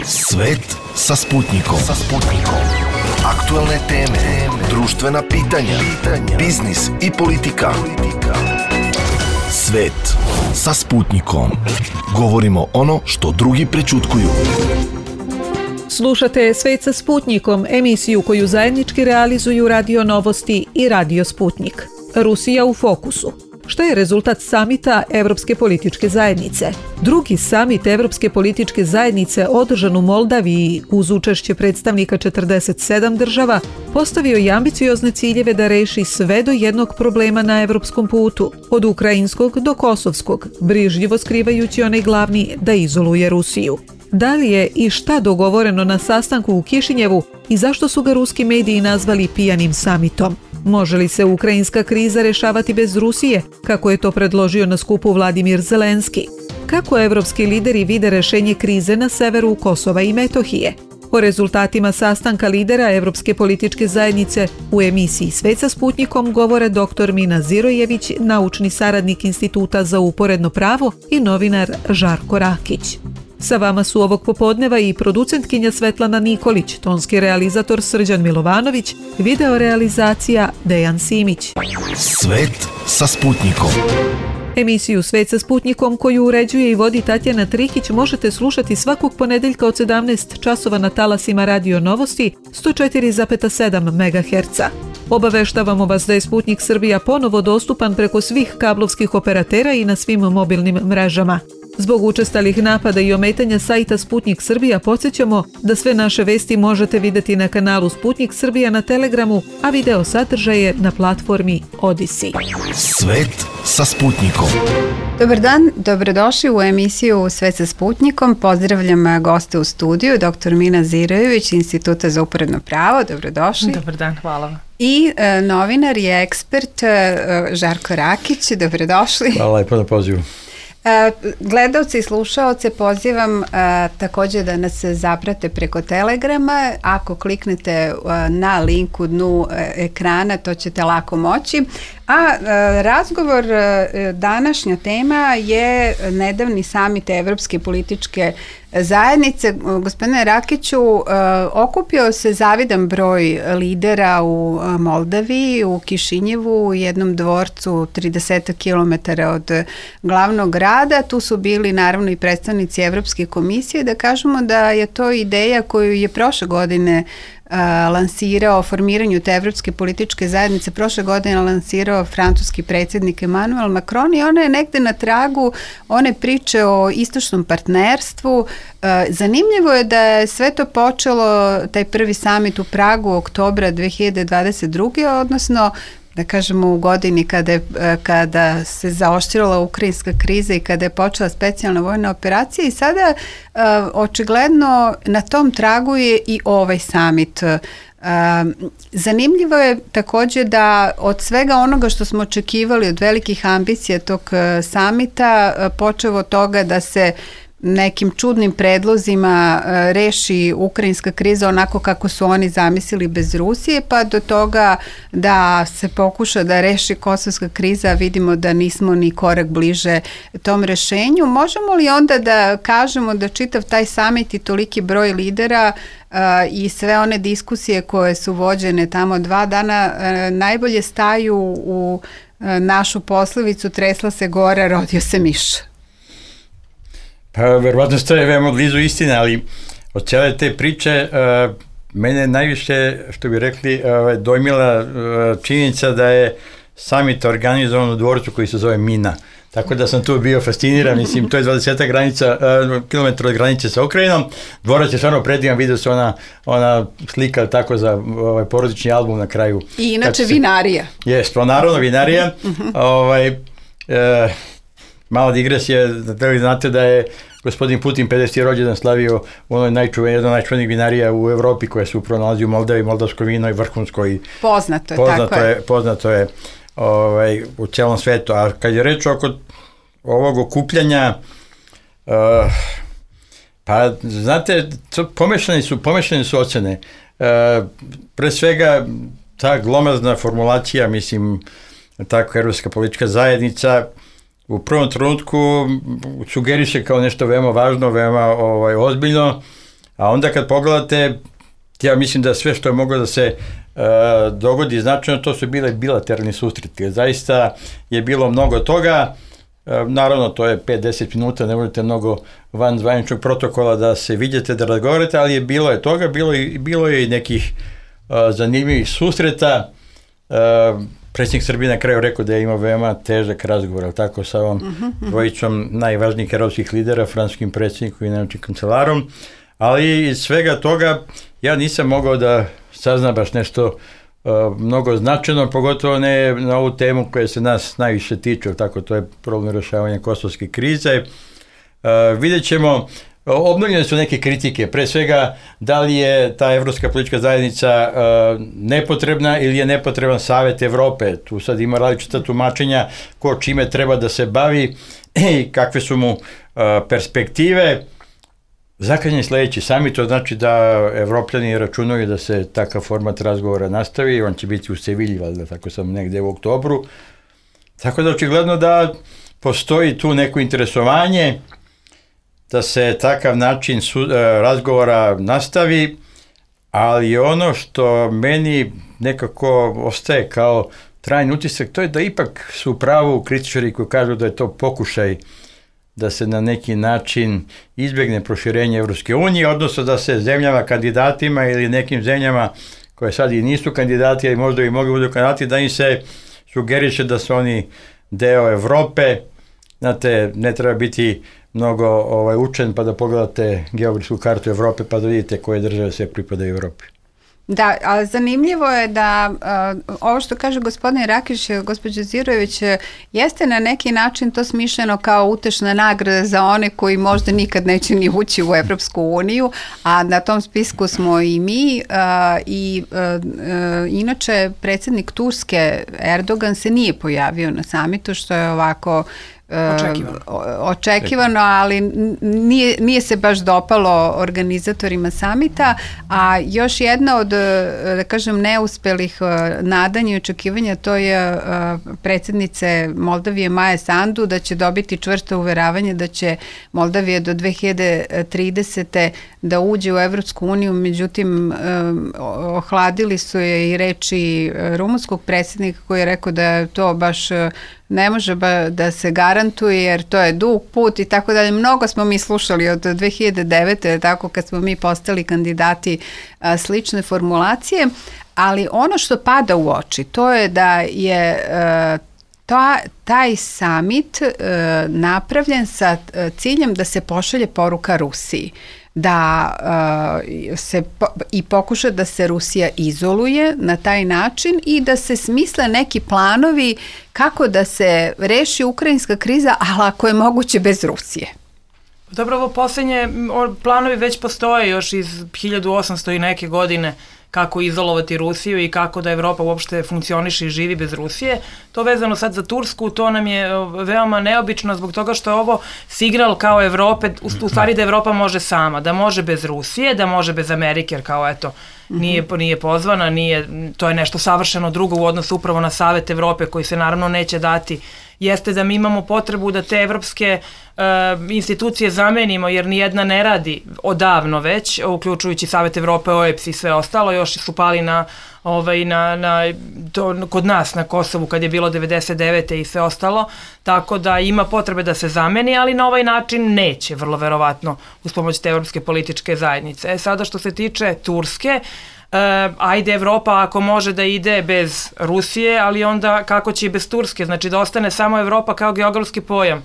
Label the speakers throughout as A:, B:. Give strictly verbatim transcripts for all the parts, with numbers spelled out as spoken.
A: Svet sa Sputnikom. Sa Sputnikom. Aktualne teme, društvena pitanja, biznis i politika. Svet sa Sputnikom. Govorimo ono što drugi prećutkuju.
B: Slušate Svet sa Sputnikom, emisiju koju zajednički realizuju Radio Novosti i Radio Sputnik. Rusija u fokusu. Šta je rezultat samita Evropske političke zajednice? Drugi samit Evropske političke zajednice održan u Moldaviji uz učešće predstavnika četrdeset sedam država postavio je ambiciozne ciljeve da reši sve do jednog problema na evropskom putu, od ukrajinskog do kosovskog, brižljivo skrivajući onaj glavni da izoluje Rusiju. Da li je i šta dogovoreno na sastanku u Kišinjevu i zašto su ga ruski mediji nazvali pijanim samitom? Može li se ukrajinska kriza rešavati bez Rusije, kako je to predložio na skupu Vladimir Zelenski? Kako evropski lideri vide rešenje krize na severu Kosova i Metohije? O rezultatima sastanka lidera Evropske političke zajednice u emisiji Svet sa Sputnikom govore doktor Mina Zirojević, naučni saradnik Instituta za uporedno pravo i novinar Žarko Rakić. Sa vama su ovog popodneva i producentkinja Svetlana Nikolić, tonski realizator Srđan Milovanović, video realizacija Dejan Simić.
A: Svet sa Sputnikom.
B: Emisiju Svet sa Sputnikom, koju uređuje i vodi Tatjana Trikić, možete slušati svakog ponedeljka od sedamnaest časova na talasima Radio Novosti sto četiri zarez sedam megaherca. Obaveštavamo vas da je Sputnik Srbija ponovo dostupan preko svih kablovskih operatera i na svim mobilnim mrežama. Zbog učestalih napada i ometanja sajta Sputnik Srbija podsjećamo da sve naše vesti možete vidjeti na kanalu Sputnik Srbija na Telegramu, a video sadržaje na platformi Odisi.
A: Svet sa Sputnikom.
C: Dobar dan, dobrodošli u emisiju Svet sa Sputnikom. Pozdravljam goste u studiju, doktor Mina Zirojević, Instituta za uporedno pravo. Dobrodošli.
D: Dobar dan, hvala vam.
C: I e, novinar i ekspert e, Žarko Rakić. Dobrodošli.
E: Hvala lepo na pozivu.
C: Gledalci i slušaoce pozivam a, također da nas zaprate preko Telegrama. Ako kliknete a, na link u dnu a, ekrana, to ćete lako moći. A, a razgovor, a, današnja tema je nedavni samit Evropske političke zajednice. Gospodine Rakiću, a, okupio se zavidan broj lidera u a, Moldaviji, u Kišinjevu, u jednom dvorcu trideset kilometara od glavnog grada. Tu su bili naravno i predstavnici Evropske komisije. Da kažemo da je to ideja koju je prošle godine Uh, lansirao o formiranju te Evropske političke zajednice, prošle godine lansirao francuski predsjednik Emmanuel Macron, i ona je negde na tragu one priče o istočnom partnerstvu. Uh, zanimljivo je da je sve to počelo, taj prvi samit u Pragu oktobra dve hiljade dvadeset druge. odnosno da kažemo u godini kada, je, kada se zaoštrila ukrajinska kriza i kada je počela specijalna vojna operacija, i sada uh, očigledno na tom tragu je i ovaj samit. Uh, zanimljivo je također da od svega onoga što smo očekivali od velikih ambicija tog uh, samita, uh, počevo od toga da se nekim čudnim predlozima uh, reši ukrajinska kriza onako kako su oni zamislili bez Rusije, pa do toga da se pokuša da reši kosovska kriza, vidimo da nismo ni korak bliže tom rešenju. Možemo li onda da kažemo da čitav taj samit i toliki broj lidera uh, i sve one diskusije koje su vođene tamo dva dana uh, najbolje staju u uh, našu poslovicu tresla se gora, rodio se miš?
E: Pa verovatno stoje veoma blizu istine, ali od cijele te priče uh, mene najviše, što bi rekli, uh, dojmila uh, činjenica da je samit organizovan u dvorcu koji se zove Mina. Tako da sam tu bio fasciniran, mislim, to je dvadeset granica, uh, kilometra od granice sa Ukrajinom. Dvorac je stvarno predivan, vidio se ona, ona slika tako za ovaj porodični album na kraju.
C: I inače se, vinarija.
E: Jest, pa naravno vinarija. ovaj, uh, Mala digresija, da li znate da je gospodin Putin pedeseti rođendan slavio u onoj najčuvenijoj, jedna od najčuvenijih vinarija u Evropi koja se upravo nalazi u Moldavi, moldavsko vino je vrhunsko i
C: poznato je,
E: poznato
C: tako
E: je,
C: je.
E: Poznato je ovaj, u cijelom svetu. A kad je reč oko ovog okupljanja, uh, pa znate, pomešane su, pomešane su ocene. Uh, pre svega ta glomazna formulacija, mislim, tako Evropska politička zajednica, u prvom trenutku sugeriše kao nešto veoma važno, veoma ovaj, ozbiljno, A onda kad pogledate, ja mislim da sve što je moglo da se uh, dogodi značajno, to su bile bilateralni susreti. Zaista je bilo mnogo toga. Uh, naravno, to je pet do deset minuta, ne možete mnogo van zvaničnog protokola da se vidite, da razgovarate, ali je bilo je toga, bilo je, bilo je i nekih uh, zanimljivih susreta. Uh, predsjednik Srbije na kraju rekao da je imao veoma težak razgovor, ali tako, sa ovom uh-huh. dvojicom najvažnijih evropskih lidera, francuskim predsjednikom i najvećim kancelarom. Ali iz svega toga ja nisam mogao da saznam baš nešto uh, mnogo značajno, pogotovo ne na ovu temu koja se nas najviše tiče, tako, to je problem rješavanja kosovske krize. Uh, vidjet ćemo, obnovljene su neke kritike, pre svega da li je ta evropska politička zajednica uh, nepotrebna ili je nepotreban Savet Evrope. Tu sad ima različita tumačenja ko čime treba da se bavi i kakve su mu uh, perspektive. Zakazan je sljedeći samit, to znači da Evropljani računaju da se takav format razgovora nastavi, on će biti u Sevilji, valjda, tako sam negde u oktobru. Tako da očigledno da postoji tu neko interesovanje da se takav način su, razgovora nastavi, ali ono što meni nekako ostaje kao trajni utisak, to je da ipak su u pravu kritičari koji kažu da je to pokušaj da se na neki način izbjegne proširenje Evropske unije, odnosno da se zemljama kandidatima ili nekim zemljama koje sad i nisu kandidati, ali možda i mogu budu kandidati, da im se sugeriše da su oni deo Evrope. Znate, ne treba biti mnogo ovaj, učen pa da pogledate geografsku kartu Evrope pa da vidite koje države sve pripadaju Evropi.
C: Da, ali zanimljivo je da uh, ovo što kaže gospodin Rakić, gospođa Zirojević, jeste na neki način to smišljeno kao utešna nagrada za one koji možda nikad neće ni ući u Evropsku uniju, a na tom spisku smo i mi uh, i uh, uh, inače predsjednik Turske Erdogan se nije pojavio na samitu, što je ovako
D: Očekivano.
C: očekivano, ali nije, nije se baš dopalo organizatorima samita, a još jedna od, da kažem, neuspelih nadanja i očekivanja, to je predsjednice Moldavije Maje Sandu, da će dobiti čvrsto uveravanje da će Moldavija do dve hiljade tridesete da uđe u Evropsku uniju, međutim ohladili su je i reči rumunskog predsjednika koji je rekao da to baš ne može ba da se garantuje jer to je dug put i tako dalje. Mnogo smo mi slušali od dve hiljade devete. tako kad smo mi postali kandidati a, slične formulacije, ali ono što pada u oči to je da je a, ta, taj summit a, napravljen sa a, ciljem da se pošalje poruka Rusiji, da uh, se po, i pokuša da se Rusija izoluje na taj način i da se smisle neki planovi kako da se reši ukrajinska kriza, ali ako je moguće bez Rusije.
D: Dobro, ovo posljednje planovi već postoje još iz hiljadu osamsto i neke godine, kako izolovati Rusiju i kako da Evropa uopšte funkcioniše i živi bez Rusije. To vezano sad za Tursku, to nam je veoma neobično zbog toga što je ovo signal kao Evrope, u, u stvari da Evropa može sama, da može bez Rusije, da može bez Amerike, jer kao eto, nije, nije pozvana, nije, to je nešto savršeno drugo u odnosu upravo na Savet Evrope koji se naravno neće dati. Jeste da mi imamo potrebu da te evropske uh, institucije zamenimo, jer nijedna ne radi odavno već, uključujući Savet Evrope, O E B S i sve ostalo, još su pali na, ovaj, na, na, to, kod nas na Kosovu kad je bilo devedeset devete i sve ostalo, tako da ima potrebe da se zameni, ali na ovaj način neće, vrlo verovatno, uz pomoć te evropske političke zajednice. E, sada što se tiče Turske, Uh, ajde Evropa ako može da ide bez Rusije, ali onda kako će i bez Turske, znači da ostane samo Evropa kao geografski pojam. Uh,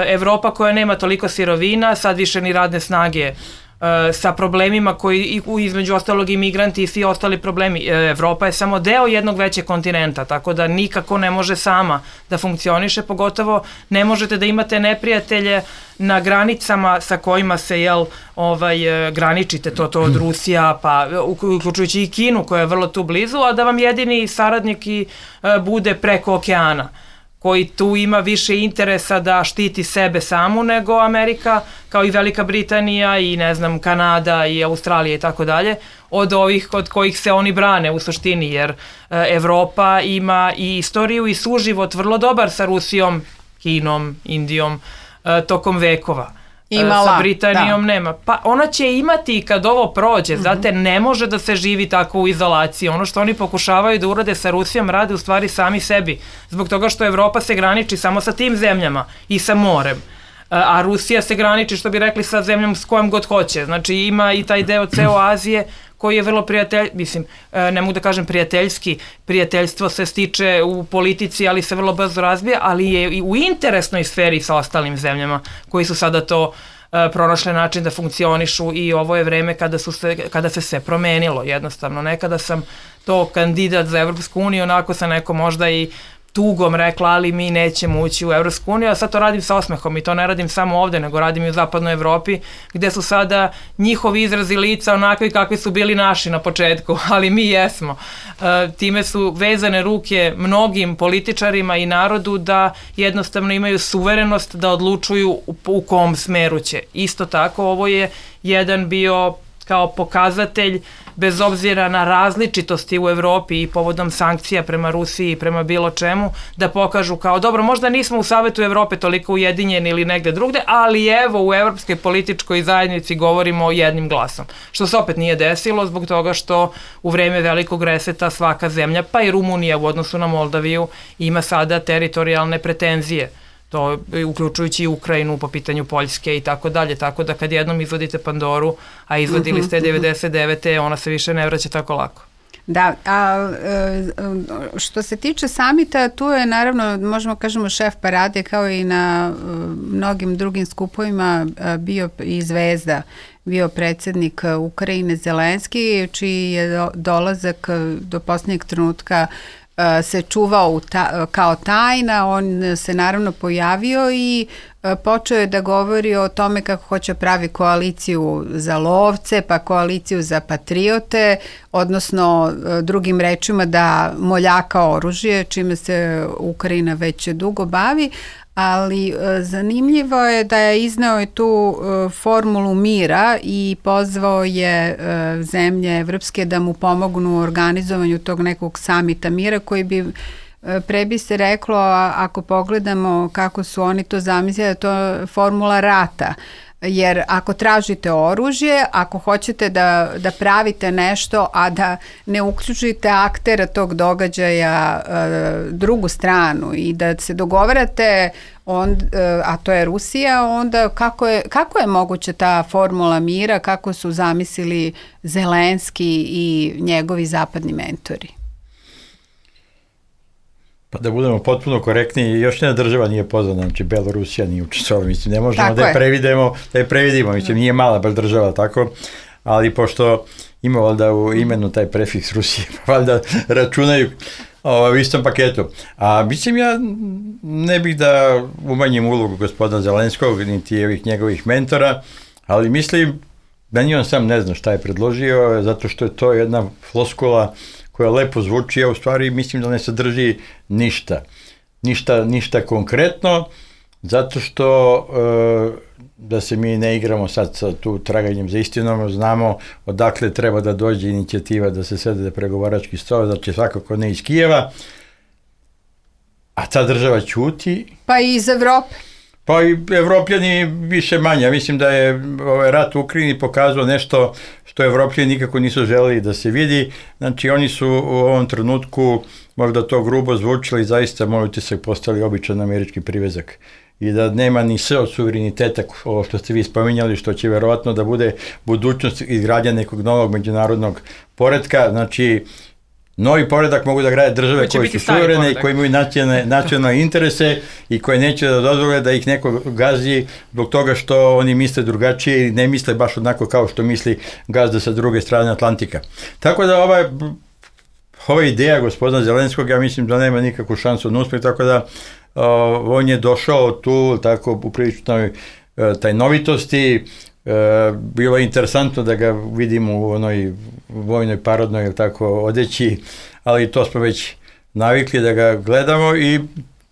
D: Evropa koja nema toliko sirovina, sad više ni radne snage, uh, sa problemima koji između ostalog i migranti i svi ostali problemi. Uh, Evropa je samo deo jednog većeg kontinenta, tako da nikako ne može sama da funkcioniše, pogotovo ne možete da imate neprijatelje na granicama sa kojima se jel, ovaj, graničite, to, to od Rusija, pa uključujući i Kinu koja je vrlo tu blizu, a da vam jedini saradnik i e, bude preko okeana, koji tu ima više interesa da štiti sebe samu nego Amerika, kao i Velika Britanija i ne znam Kanada i Australija i tako dalje, od ovih od kojih se oni brane u suštini, jer e, Evropa ima i istoriju i suživot vrlo dobar sa Rusijom, Kinom, Indijom, tokom vekova.
C: Imala,
D: sa Britanijom
C: da.
D: nema. Pa ona će imati kad ovo prođe, mm-hmm. znate, ne može da se živi tako u izolaciji. Ono što oni pokušavaju da urade sa Rusijom rade u stvari sami sebi. Zbog toga što Evropa se graniči samo sa tim zemljama i sa morem. A Rusija se graniči, što bi rekli, sa zemljom s kojom god hoće. Znači ima i taj deo ceo Azije koji je vrlo prijatelj, mislim, ne mogu da kažem prijateljski, prijateljstvo se stiče u politici, ali se vrlo brzo razbija, ali je i u interesnoj sferi sa ostalim zemljama koji su sada to pronašle način da funkcionišu i ovo je vreme kada, su se, kada se sve promenilo jednostavno. Nekada sam to kandidat za Evropsku uniju, onako sam neko možda i tugom rekla, ali mi nećemo ući u Evropsku uniju, a sad to radim sa osmehom i to ne radim samo ovde, nego radim i u zapadnoj Evropi, gde su sada njihovi izrazi lica onakvi kakvi su bili naši na početku, ali mi jesmo. E, time su vezane ruke mnogim političarima i narodu da jednostavno imaju suverenost da odlučuju u, u kom smeru će. Isto tako, ovo je jedan bio kao pokazatelj, bez obzira na različitosti u Evropi i povodom sankcija prema Rusiji i prema bilo čemu, da pokažu kao, dobro, možda nismo u Savetu Evrope toliko ujedinjeni ili negde drugde, ali evo u evropskoj političkoj zajednici govorimo jednim glasom. Što se opet nije desilo zbog toga što u vreme velikog reseta svaka zemlja, pa i Rumunija u odnosu na Moldaviju, ima sada teritorijalne pretenzije. To uključujući i Ukrajinu po pitanju Poljske i tako dalje, tako da kad jednom izvodite Pandoru, a izvodili ste devedeset devete ona se više ne vraća tako lako.
C: Da, a što se tiče samita, tu je naravno, možemo kažemo, šef parade kao i na mnogim drugim skupovima bio i zvezda, bio predsjednik Ukrajine Zelenski, čiji je dolazak do posljednjeg trenutka se čuvao u ta, kao tajna, on se naravno pojavio i počeo je da govori o tome kako hoće pravi koaliciju za lovce, pa koaliciju za patriote, odnosno drugim rečima da moljaka oružje, čime se Ukrajina već dugo bavi, ali zanimljivo je da je izneo je tu formulu mira i pozvao je zemlje evropske da mu pomognu u organizovanju tog nekog samita mira koji bi, pre bi se reklo, ako pogledamo kako su oni to zamislili, to je formula rata. Jer ako tražite oružje, ako hoćete da, da pravite nešto, a da ne uključite aktera tog događaja e, drugu stranu i da se dogovarate, on, e, a to je Rusija, onda kako je, kako je moguće ta formula mira, kako su zamislili Zelenski i njegovi zapadni mentori?
E: Pa da budemo potpuno korektni, još jedna država nije pozvana, znači Belorusija nije učestvovala, mislim, ne možemo tako da je, je previdimo, da je previdimo, mislim, nije mala baš država, tako, ali pošto ima valjda u imenu taj prefiks Rusije, valjda računaju o, u istom paketu. A mislim, ja ne bih da umanjim ulogu gospodina Zelenskog, niti ovih njegovih mentora, ali mislim da ni on sam ne zna šta je predložio, zato što je to jedna floskula koja lepo zvuči, a u stvari mislim da ne sadrži ništa. Ništa, ništa konkretno, zato što e, da se mi ne igramo sad sa tu traganjem za istinom, znamo odakle treba da dođe inicijativa da se sede pregovarački stol, znači svakako ne iz Kijeva, a ta država ćuti.
C: Pa i iz Evrope.
E: Pa i Evropljani više manje. Mislim da je ovaj rat u Ukrajini pokazao nešto što Evropljani nikako nisu želeli da se vidi. Znači oni su u ovom trenutku, možda to grubo zvučili, zaista moj utisak postali običan američki privezak. I da nema ni sve od suvereniteta, ovo što ste vi spominjali, što će verovatno da bude budućnost izgradnja nekog novog međunarodnog poretka. Znači, novi poredak mogu da grade države koje su suverene i koje imaju nacionalne, nacionalne interese i koje neće da dozvole da ih neko gazi zbog toga što oni misle drugačije i ne misle baš onako kao što misli gazda sa druge strane Atlantika. Tako da ova, ova ideja gospodina Zelenskog, ja mislim da nema nikakvu šansu na uspeh, tako da uh, on je došao tu tako u priličnoj uh, tajnovitosti. Uh, bilo je interesantno da ga vidimo u onoj vojnoj parodnoj ili tako odeći, ali to smo već navikli da ga gledamo i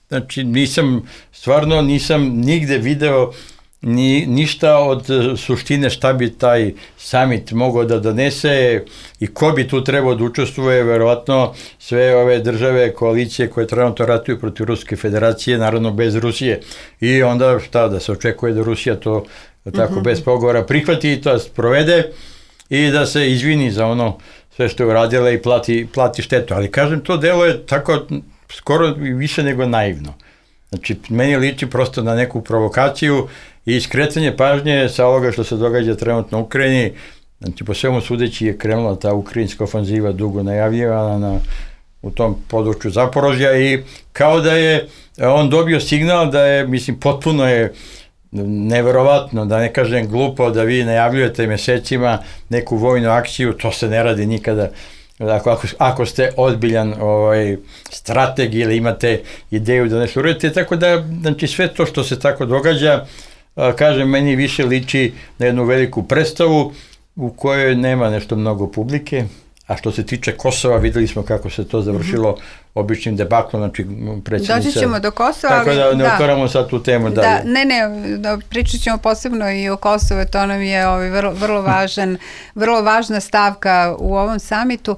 E: znači nisam, stvarno nisam nigde video ni, ništa od suštine šta bi taj summit mogao da donese i ko bi tu trebao da učestvuje, verovatno sve ove države, koalicije koje trenutno ratuju protiv Ruske federacije, naravno bez Rusije. I onda šta, da se očekuje da Rusija to tako mm-hmm. bez pogovora prihvati i to sprovede i da se izvini za ono sve što je uradila i plati, plati štetu. Ali kažem, to delo je tako skoro više nego naivno. Znači, meni liči prosto na neku provokaciju i skretanje pažnje sa ovoga što se događa trenutno u Ukrajini. Znači, po svemu sudeći je krenula ta ukrajinska ofanziva dugo najavljivana na, u tom području Zaporožja i kao da je on dobio signal da je, mislim, potpuno je neverovatno, da ne kažem glupo, da vi najavljujete mesecima neku vojnu akciju, to se ne radi nikada. Ako, ako, ako ste ozbiljan ovaj, strateg ili imate ideju da nešto uradite, tako da, znači, sve to što se tako događa, a, kažem, meni više liči na jednu veliku predstavu u kojoj nema nešto mnogo publike, a što se tiče Kosova, videli smo kako se to završilo mm-hmm. običnim debaklom, znači predsjednica...
C: Doći ćemo do Kosova,
E: tako da ne da. otvaramo sad tu temu
C: da,
E: dalje.
C: Ne, ne, da, pričat ćemo posebno i o Kosovu, to nam je ovaj, vrlo, vrlo, važan, vrlo važna stavka u ovom samitu,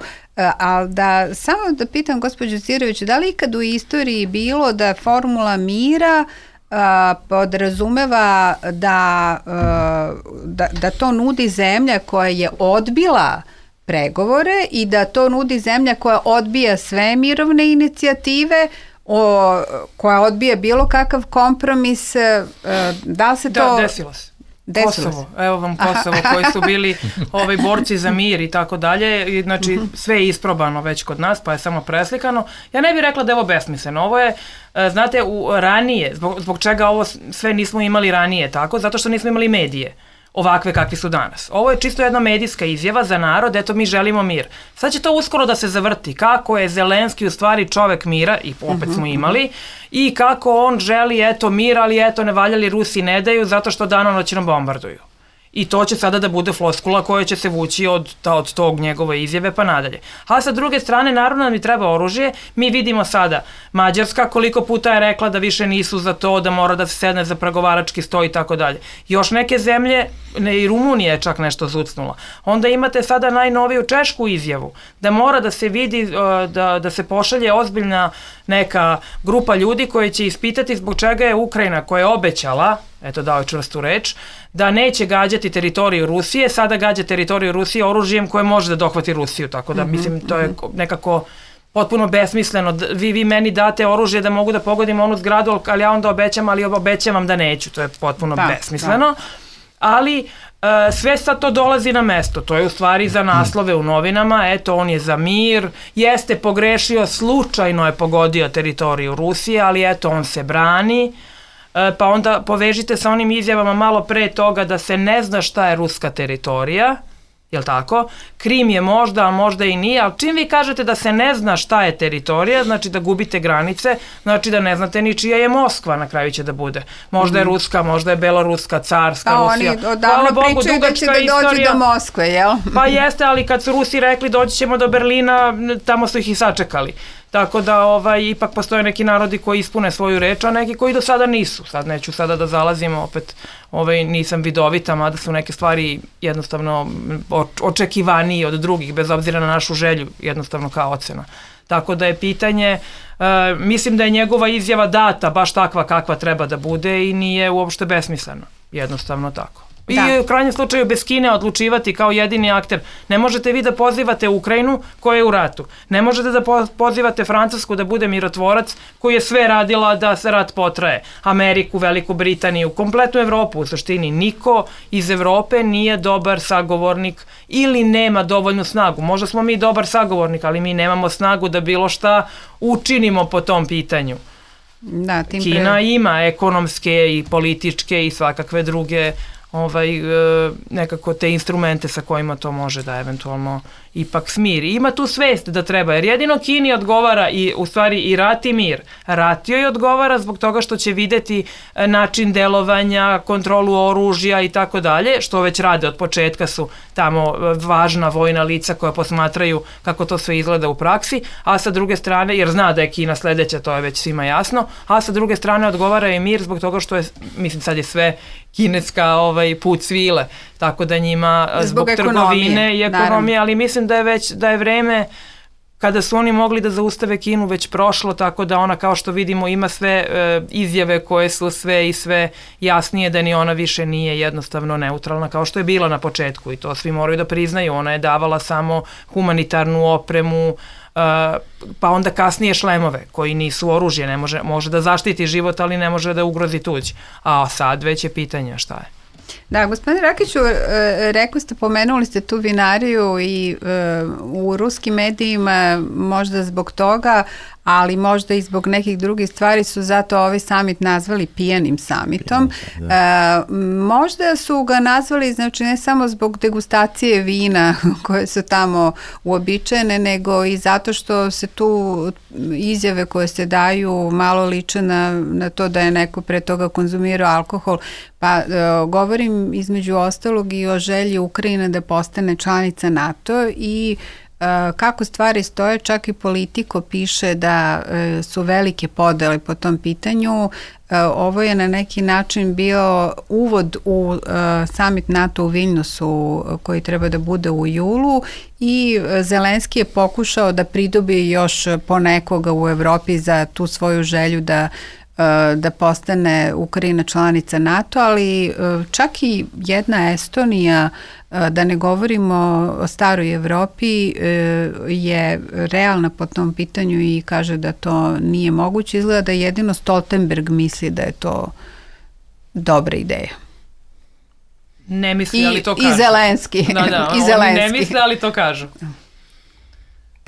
C: ali da samo da pitam gospođu Cirović, da li ikad u istoriji bilo da formula mira a, podrazumeva da, a, da, da to nudi zemlja koja je odbila pregovore i da to nudi zemlja koja odbija sve mirovne inicijative, o, koja odbija bilo kakav kompromis, da li se to...
D: Da, desilo se. Kosovo, evo vam Kosovo, aha. koji su bili ovaj borci za mir i tako dalje, znači uh-huh. sve je isprobano već kod nas, pa je samo preslikano. Ja ne bih rekla da je ovo besmisleno, ovo je, znate, u, ranije, zbog, zbog čega ovo sve nismo imali ranije tako, zato što nismo imali medije ovakve kakvi su danas. Ovo je čisto jedna medijska izjava za narod, eto mi želimo mir. Sad će to uskoro da se zavrti, kako je Zelenski u stvari čovek mira, i opet smo imali, i kako on želi eto mir, ali eto ne valjali Rusi ne daju zato što danonoćno bombarduju. I to će sada da bude floskula koja će se vući od, ta, od tog njegove izjave pa nadalje. A sa druge strane, naravno nam i treba oružje. Mi vidimo sada Mađarska koliko puta je rekla da više nisu za to, da mora da se sedne za pregovarački sto i tako dalje. Još neke zemlje, ne, i Rumunija je čak nešto zucnula. Onda imate sada najnoviju češku izjavu, da mora da se vidi, da, da se pošalje ozbiljna neka grupa ljudi koji će ispitati zbog čega je Ukrajina, koja je obećala, eto dao je čvrstu reč, da neće gađati teritoriju Rusije, sada gađa teritoriju Rusije oružjem koje može da dohvati Rusiju, tako da mm-hmm, mislim to je nekako potpuno besmisleno. Vi, vi meni date oružje da mogu da pogodim onu zgradu, ali ja onda obećam, ali obećavam da neću, to je potpuno da, besmisleno. Da. Ali uh, sve sad to dolazi na mesto, to je u stvari za naslove u novinama, eto on je za mir, jeste pogrešio, slučajno je pogodio teritoriju Rusije, ali eto on se brani. Pa onda povežite sa onim izjavama malo pre toga da se ne zna šta je ruska teritorija, jel tako? Krim je možda, a možda i nije, ali čim vi kažete da se ne zna šta je teritorija, znači da gubite granice, znači da ne znate ni čija je Moskva, na kraju će da bude. Možda je ruska, možda je beloruska, carska,
C: a
D: Rusija.
C: Oni odavno Bogu, pričaju da će da dođe do Moskve, jel?
D: Pa jeste, ali kad su Rusi rekli doći ćemo do Berlina, tamo su ih i sačekali. Tako da ovaj, ipak postoje neki narodi koji ispune svoju reč, a neki koji do sada nisu. Sad neću sada da zalazimo, opet ovaj, nisam vidovita, mada su neke stvari jednostavno očekivaniji od drugih, bez obzira na našu želju, jednostavno kao ocena. Tako da je pitanje, uh, mislim da je njegova izjava data baš takva kakva treba da bude i nije uopšte besmislena, jednostavno tako. I da. U krajnjem slučaju bez Kine odlučivati kao jedini akter. Ne možete vi da pozivate Ukrajinu koja je u ratu. Ne možete da pozivate Francusku da bude mirotvorac koji je sve radila da se rat potraje. Ameriku, Veliku Britaniju, kompletnu Evropu u suštini. Niko iz Evrope nije dobar sagovornik ili nema dovoljnu snagu. Možda smo mi dobar sagovornik, ali mi nemamo snagu da bilo šta učinimo po tom pitanju.
C: Da, tim
D: Kina
C: pre...
D: ima ekonomske i političke i svakakve druge ovaj, nekako te instrumente sa kojima to može da eventualno ipak smiri. Ima tu svest da treba, jer jedino Kini odgovara i u stvari i rat i mir. Rat joj odgovara zbog toga što će videti način delovanja, kontrolu oružja i tako dalje, što već rade od početka, su tamo važna vojna lica koja posmatraju kako to sve izgleda u praksi, a sa druge strane, jer zna da je Kina sledeća, to je već svima jasno, a sa druge strane odgovara i mir zbog toga što je, mislim sad je sve kineska ovaj, put svile, tako da njima zbog, zbog trgovine i ekonomije, naravno. Ali mislim da je već da je vreme kada su oni mogli da zaustave Kinu već prošlo, tako da ona, kao što vidimo, ima sve e, izjave koje su sve i sve jasnije, da ni ona više nije jednostavno neutralna kao što je bila na početku, i to svi moraju da priznaju. Ona je davala samo humanitarnu opremu, pa onda kasnije šlemove koji nisu oružje, ne može, može da zaštiti život, ali ne može da ugrozi tuđ. A sad već je pitanje šta je.
C: Da, gospodine Rakiću, rekli ste, pomenuli ste tu vinariju i u ruskim medijima možda zbog toga, ali možda i zbog nekih drugih stvari su zato ovaj summit nazvali pijanim summitom. Da. E, možda su ga nazvali, znači ne samo zbog degustacije vina koje su tamo uobičajene, nego i zato što se tu izjave koje se daju malo liče na, na to da je neko pre toga konzumirao alkohol. Pa e, govorim između ostalog i o želji Ukrajine da postane članica NATO i kako stvari stoje, čak i Politico piše da su velike podele po tom pitanju. Ovo je na neki način bio uvod u summit NATO u Viljnusu koji treba da bude u julu i Zelenski je pokušao da pridobi još ponekoga u Evropi za tu svoju želju da da postane Ukrajina članica NATO, ali čak i jedna Estonija, da ne govorimo o staroj Evropi, je realna po tom pitanju i kaže da to nije moguće. Izgleda da jedino Stoltenberg misli da je to dobra ideja.
D: Ne misli, ali to kažu.
C: I Zelenski.
D: Da, da,
C: I
D: Zelenski. Oni ne misle, ali to kažu.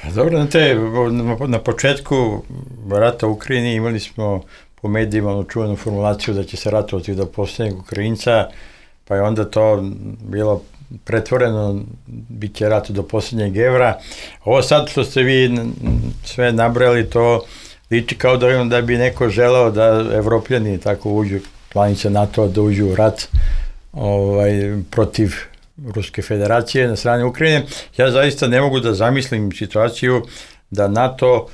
E: Pa dobro, na, te, na početku rata u Ukrajini imali smo po medijima onu čuvenu formulaciju da će se ratovati do posljednjeg Ukrajinca, pa je onda to bilo pretvoreno, bit će rat do posljednjeg evra. Ovo sad što ste vi sve nabrali, to liči kao da, da bi neko želeo da Evropljani tako uđu, članice NATO da uđu u rat ovaj, protiv Ruske federacije na strane Ukrajine. Ja zaista ne mogu da zamislim situaciju da NATO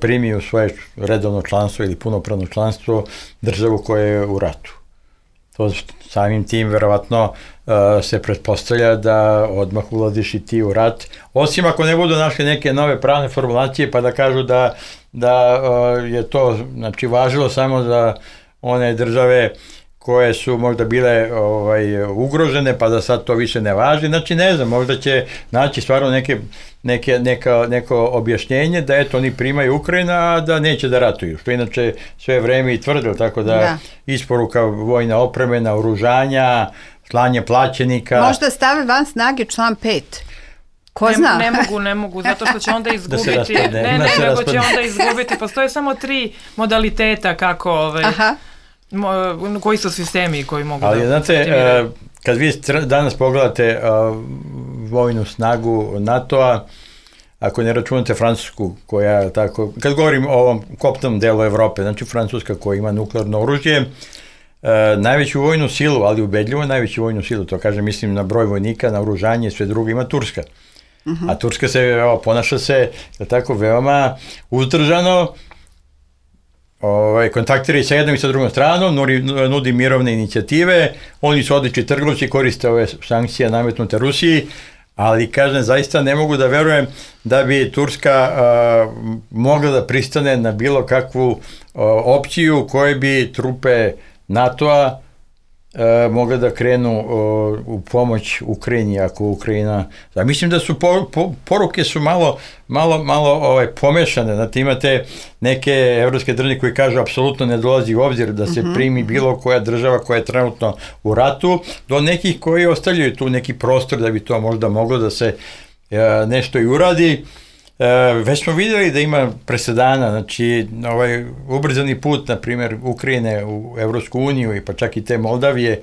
E: primi u svoje redovno članstvo ili punopravno članstvo državu koja je u ratu. To samim tim verovatno se pretpostavlja da odmah ulaziš i ti u rat, osim ako ne budu našli neke nove pravne formulacije pa da kažu da, da je to znači, važilo samo za one države koje su možda bile ovaj, ugrožene, pa da sad to više ne važi. Znači, ne znam, možda će naći stvarno neke, neke, neka, neko objašnjenje da eto, oni primaju Ukrajina, a da neće da ratuju. Što inače sve vreme i tvrdilo, tako da, da. Isporuka vojna opreme, naoružanja, slanje plaćenika.
C: Možda stave van snage član pet. Ko
D: ne,
C: zna?
D: Ne mogu, ne mogu, zato što će onda izgubiti. Da se ne, ne, ne, ne nego će onda izgubiti. Postoje samo tri modaliteta kako... Ovaj, Aha. koji su sistemi koji mogu
E: ali,
D: da...
E: Ali znate, uh, kad vi danas pogledate uh, vojnu snagu NATO-a, ako ne računate Francusku, koja tako, kad govorim o ovom kopnom delu Evrope, znači Francuska koja ima nuklearno oružje, uh, najveću vojnu silu, ali ubedljivo najveću vojnu silu, to kažem, mislim na broj vojnika, na oružanje i sve drugo ima Turska. Uh-huh. A Turska se, evo, ponaša se, tako, veoma uzdržano, Ovaj, kontaktira i sa jednom i sa drugom stranom, nudi, nudi mirovne inicijative, oni su odlični trgovci, koriste ove sankcije nametnute Rusiji, ali kažem, zaista ne mogu da verujem da bi Turska uh, mogla da pristane na bilo kakvu uh, opciju koje bi trupe NATO-a uh, mogle da krenu uh, u pomoć Ukrajini, ako Ukrajina... Da, mislim da su po, po, poruke su malo, malo, malo ovaj, pomešane, znate, imate neke evropske države koji kažu apsolutno ne dolazi u obzir da se uh-huh. primi bilo koja država koja je trenutno u ratu, do nekih koji ostavljaju tu neki prostor da bi to možda moglo da se uh, nešto i uradi. Uh, već smo vidjeli da ima presedana, znači ovaj ubrzani put, na primjer, Ukrajine u Evropsku uniju i pa čak i te Moldavije,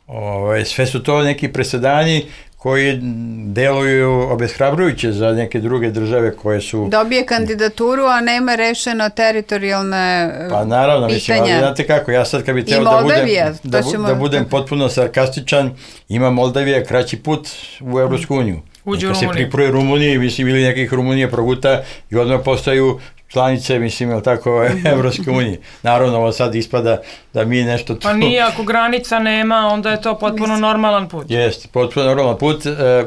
E: ovaj, sve su to neki presedani koji deluju obeshrabrujuće za neke druge države koje su...
C: Dobije kandidaturu, a nema rešeno teritorijalne pitanja.
E: Pa naravno, mislim, ali znate kako, ja sad kad bi teo da budem, da, ćemo... da budem potpuno sarkastičan, ima Moldavija kraći put u Evropsku uniju.
D: Uđe u
E: Rumuniju. Se pripruje Rumuniji, mislim, ili nekih Rumunije proguta i odmah postaju članice, mislim, je tako, Evropske unije. Naravno, ovo sad ispada da mi nešto tu...
D: Pa nije, ako granica nema, onda je to potpuno normalan put.
E: Jeste, potpuno normalan put.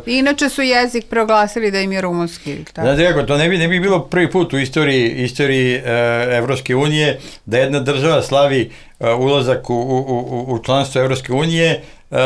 C: Inače su jezik proglasili da im je rumunski.
E: Znate kako, to ne bi, ne bi bilo prvi put u istoriji, istoriji Evropske unije da jedna država slavi ulazak u, u, u, u članstvo Evropske unije, Uh,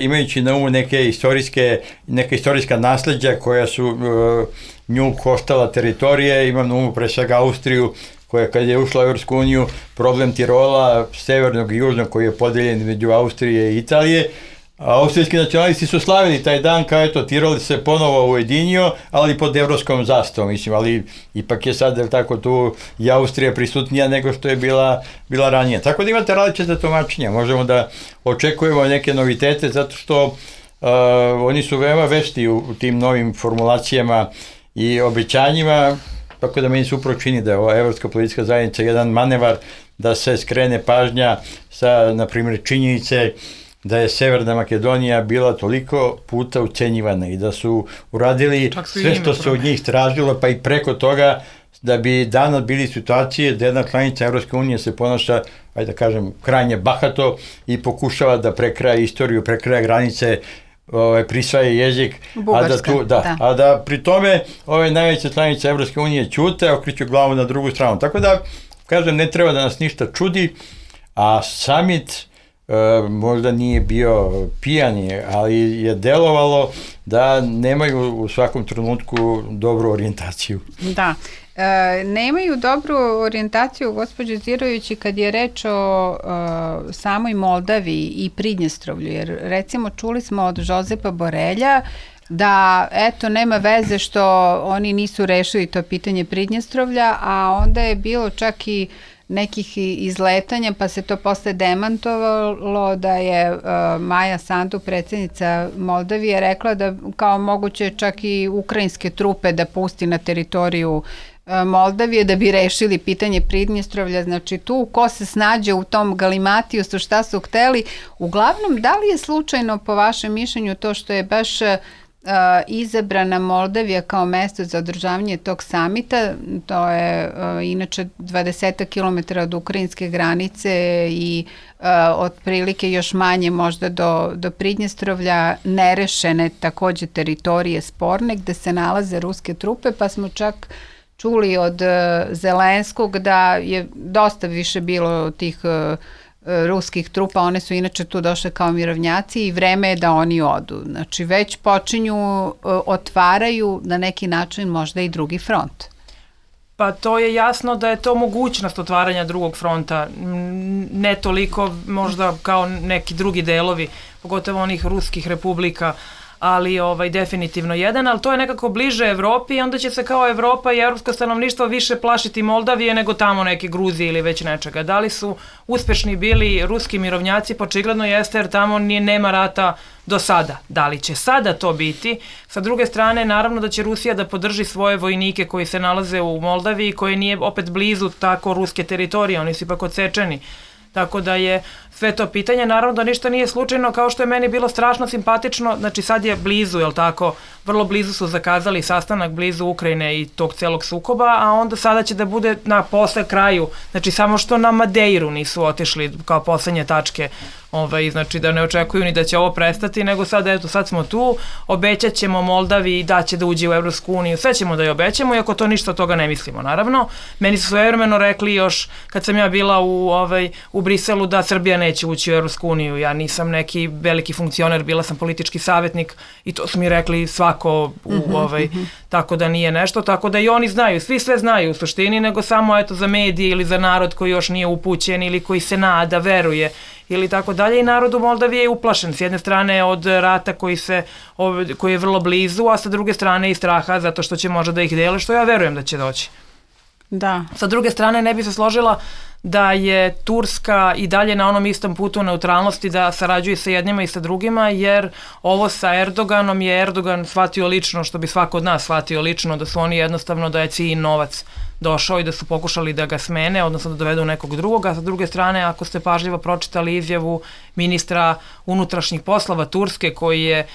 E: imajući na umu neke istorijske, neka istorijska nasleđa koja su uh, nju koštala teritorije, imam na umu pre svega Austriju, koja kad je ušla u Evropsku uniju, problem Tirola, severnog i južnog koji je podeljen među Austrije i Italije, a austrijski nacionalisti su slavili taj dan kao eto Tirol se ponovo ujedinio, ali pod evropskom zastavom, mislim, ali ipak je sad tako tu i Austrija prisutnija nego što je bila, bila ranije. Tako da imate različite tumačenja, možemo da očekujemo neke novitete zato što uh, oni su veoma vešti u, u tim novim formulacijama i obećanjima, tako da meni se upravo čini da je ova Evropska politička zajednica jedan manevar da se skrene pažnja sa, na primjer, činjenice da je Severna Makedonija bila toliko puta ucenjivana i da su uradili sve što se od njih tražilo, pa i preko toga da bi danas bili situacije da jedna članica Evropske unije se ponaša, ajde da kažem, krajnje bahato i pokušava da prekraja istoriju, prekraja granice, ovaj, prisvaja jezik, a da, tu, da, da. a da pri tome ove najveće članice Evropske unije ćute, okreću glavu na drugu stranu. Tako da, kažem, ne treba da nas ništa čudi, a summit Uh, možda nije bio pijanje, ali je delovalo da nemaju u svakom trenutku dobru orijentaciju.
C: Da, e, nemaju dobru orijentaciju, gospođo Zirović, kad je reč o e, samoj Moldaviji i Pridnjestrovlju, jer recimo čuli smo od Žozepa Borelja da eto nema veze što oni nisu rešili to pitanje Pridnjestrovlja, a onda je bilo čak i nekih izletanja, pa se to posle demantovalo da je uh, Maja Sandu, predsjednica Moldavije, rekla da kao moguće čak i ukrajinske trupe da pusti na teritoriju uh, Moldavije da bi rešili pitanje Pridnjestrovlja. Znači tu ko se snađe u tom galimatiju su šta su hteli. Uglavnom, da li je slučajno po vašem mišljenju to što je baš Uh, izabrana Moldavija kao mesto za održavanje tog samita, to je uh, inače dvadeset kilometara od ukrajinske granice i uh, otprilike još manje možda do, do Pridnjestrovlja, nerešene takođe teritorije sporne gde se nalaze ruske trupe, pa smo čak čuli od uh, Zelenskog da je dosta više bilo tih uh, ruskih trupa, one su inače tu došle kao mirovnjaci i vreme je da oni odu. Znači već počinju, otvaraju na neki način možda i drugi front.
D: Pa to je jasno da je to mogućnost otvaranja drugog fronta, ne toliko možda kao neki drugi delovi, pogotovo onih ruskih republika, ali ovaj, definitivno jedan, ali to je nekako bliže Evropi i onda će se kao Evropa i evropsko stanovništvo više plašiti Moldavije nego tamo neke Gruzije ili već nečega. Da li su uspešni bili ruski mirovnjaci? Pa očigledno jeste, jer tamo nije, nema rata do sada. Da li će sada to biti? Sa druge strane, naravno da će Rusija da podrži svoje vojnike koji se nalaze u Moldaviji, koji nije opet blizu tako ruske teritorije, oni su ipak odsečeni. Tako da je sve to pitanje, naravno da ništa nije slučajno, kao što je meni bilo strašno simpatično, znači sad je blizu, jel tako, vrlo blizu su zakazali sastanak blizu Ukrajine i tog celog sukoba, a onda sada će da bude na posle kraju, znači samo što na Madeiru nisu otišli kao poslednje tačke, ovaj, znači da ne očekuju ni da će ovo prestati, nego sad, eto, sad smo tu, obećat ćemo Moldaviji da će da uđe u Evropsku uniju, sve ćemo da je obećamo, iako to ništa od toga ne mislimo, naravno. Meni su svojevremeno rekli još, kad sam ja bila u, ovaj, u Briselu, da Srbija neće ući u Evropsku uniju, ja nisam neki veliki funkcioner, bila sam politički savjetnik i to su mi rekli svako, u, mm-hmm, ovaj, mm-hmm. tako da nije nešto, tako da i oni znaju, svi sve znaju u suštini, nego samo eto za medije ili za narod koji još nije upućen ili koji se nada, veruje ili tako dalje, i narod u Moldaviji je uplašen s jedne strane od rata koji, se, koji je vrlo blizu, a sa druge strane i straha zato što će možda da ih dele, što ja verujem da će doći.
C: Da.
D: Sa druge strane ne bi se složila da je Turska i dalje na onom istom putu neutralnosti, da sarađuje sa jednima i sa drugima, jer ovo sa Erdoganom je Erdogan shvatio lično, što bi svako od nas shvatio lično, da su oni jednostavno, da je cilj novac došao i da su pokušali da ga smene, odnosno da dovedu nekog drugog, a sa druge strane, ako ste pažljivo pročitali izjavu ministra unutrašnjih poslova Turske, koji je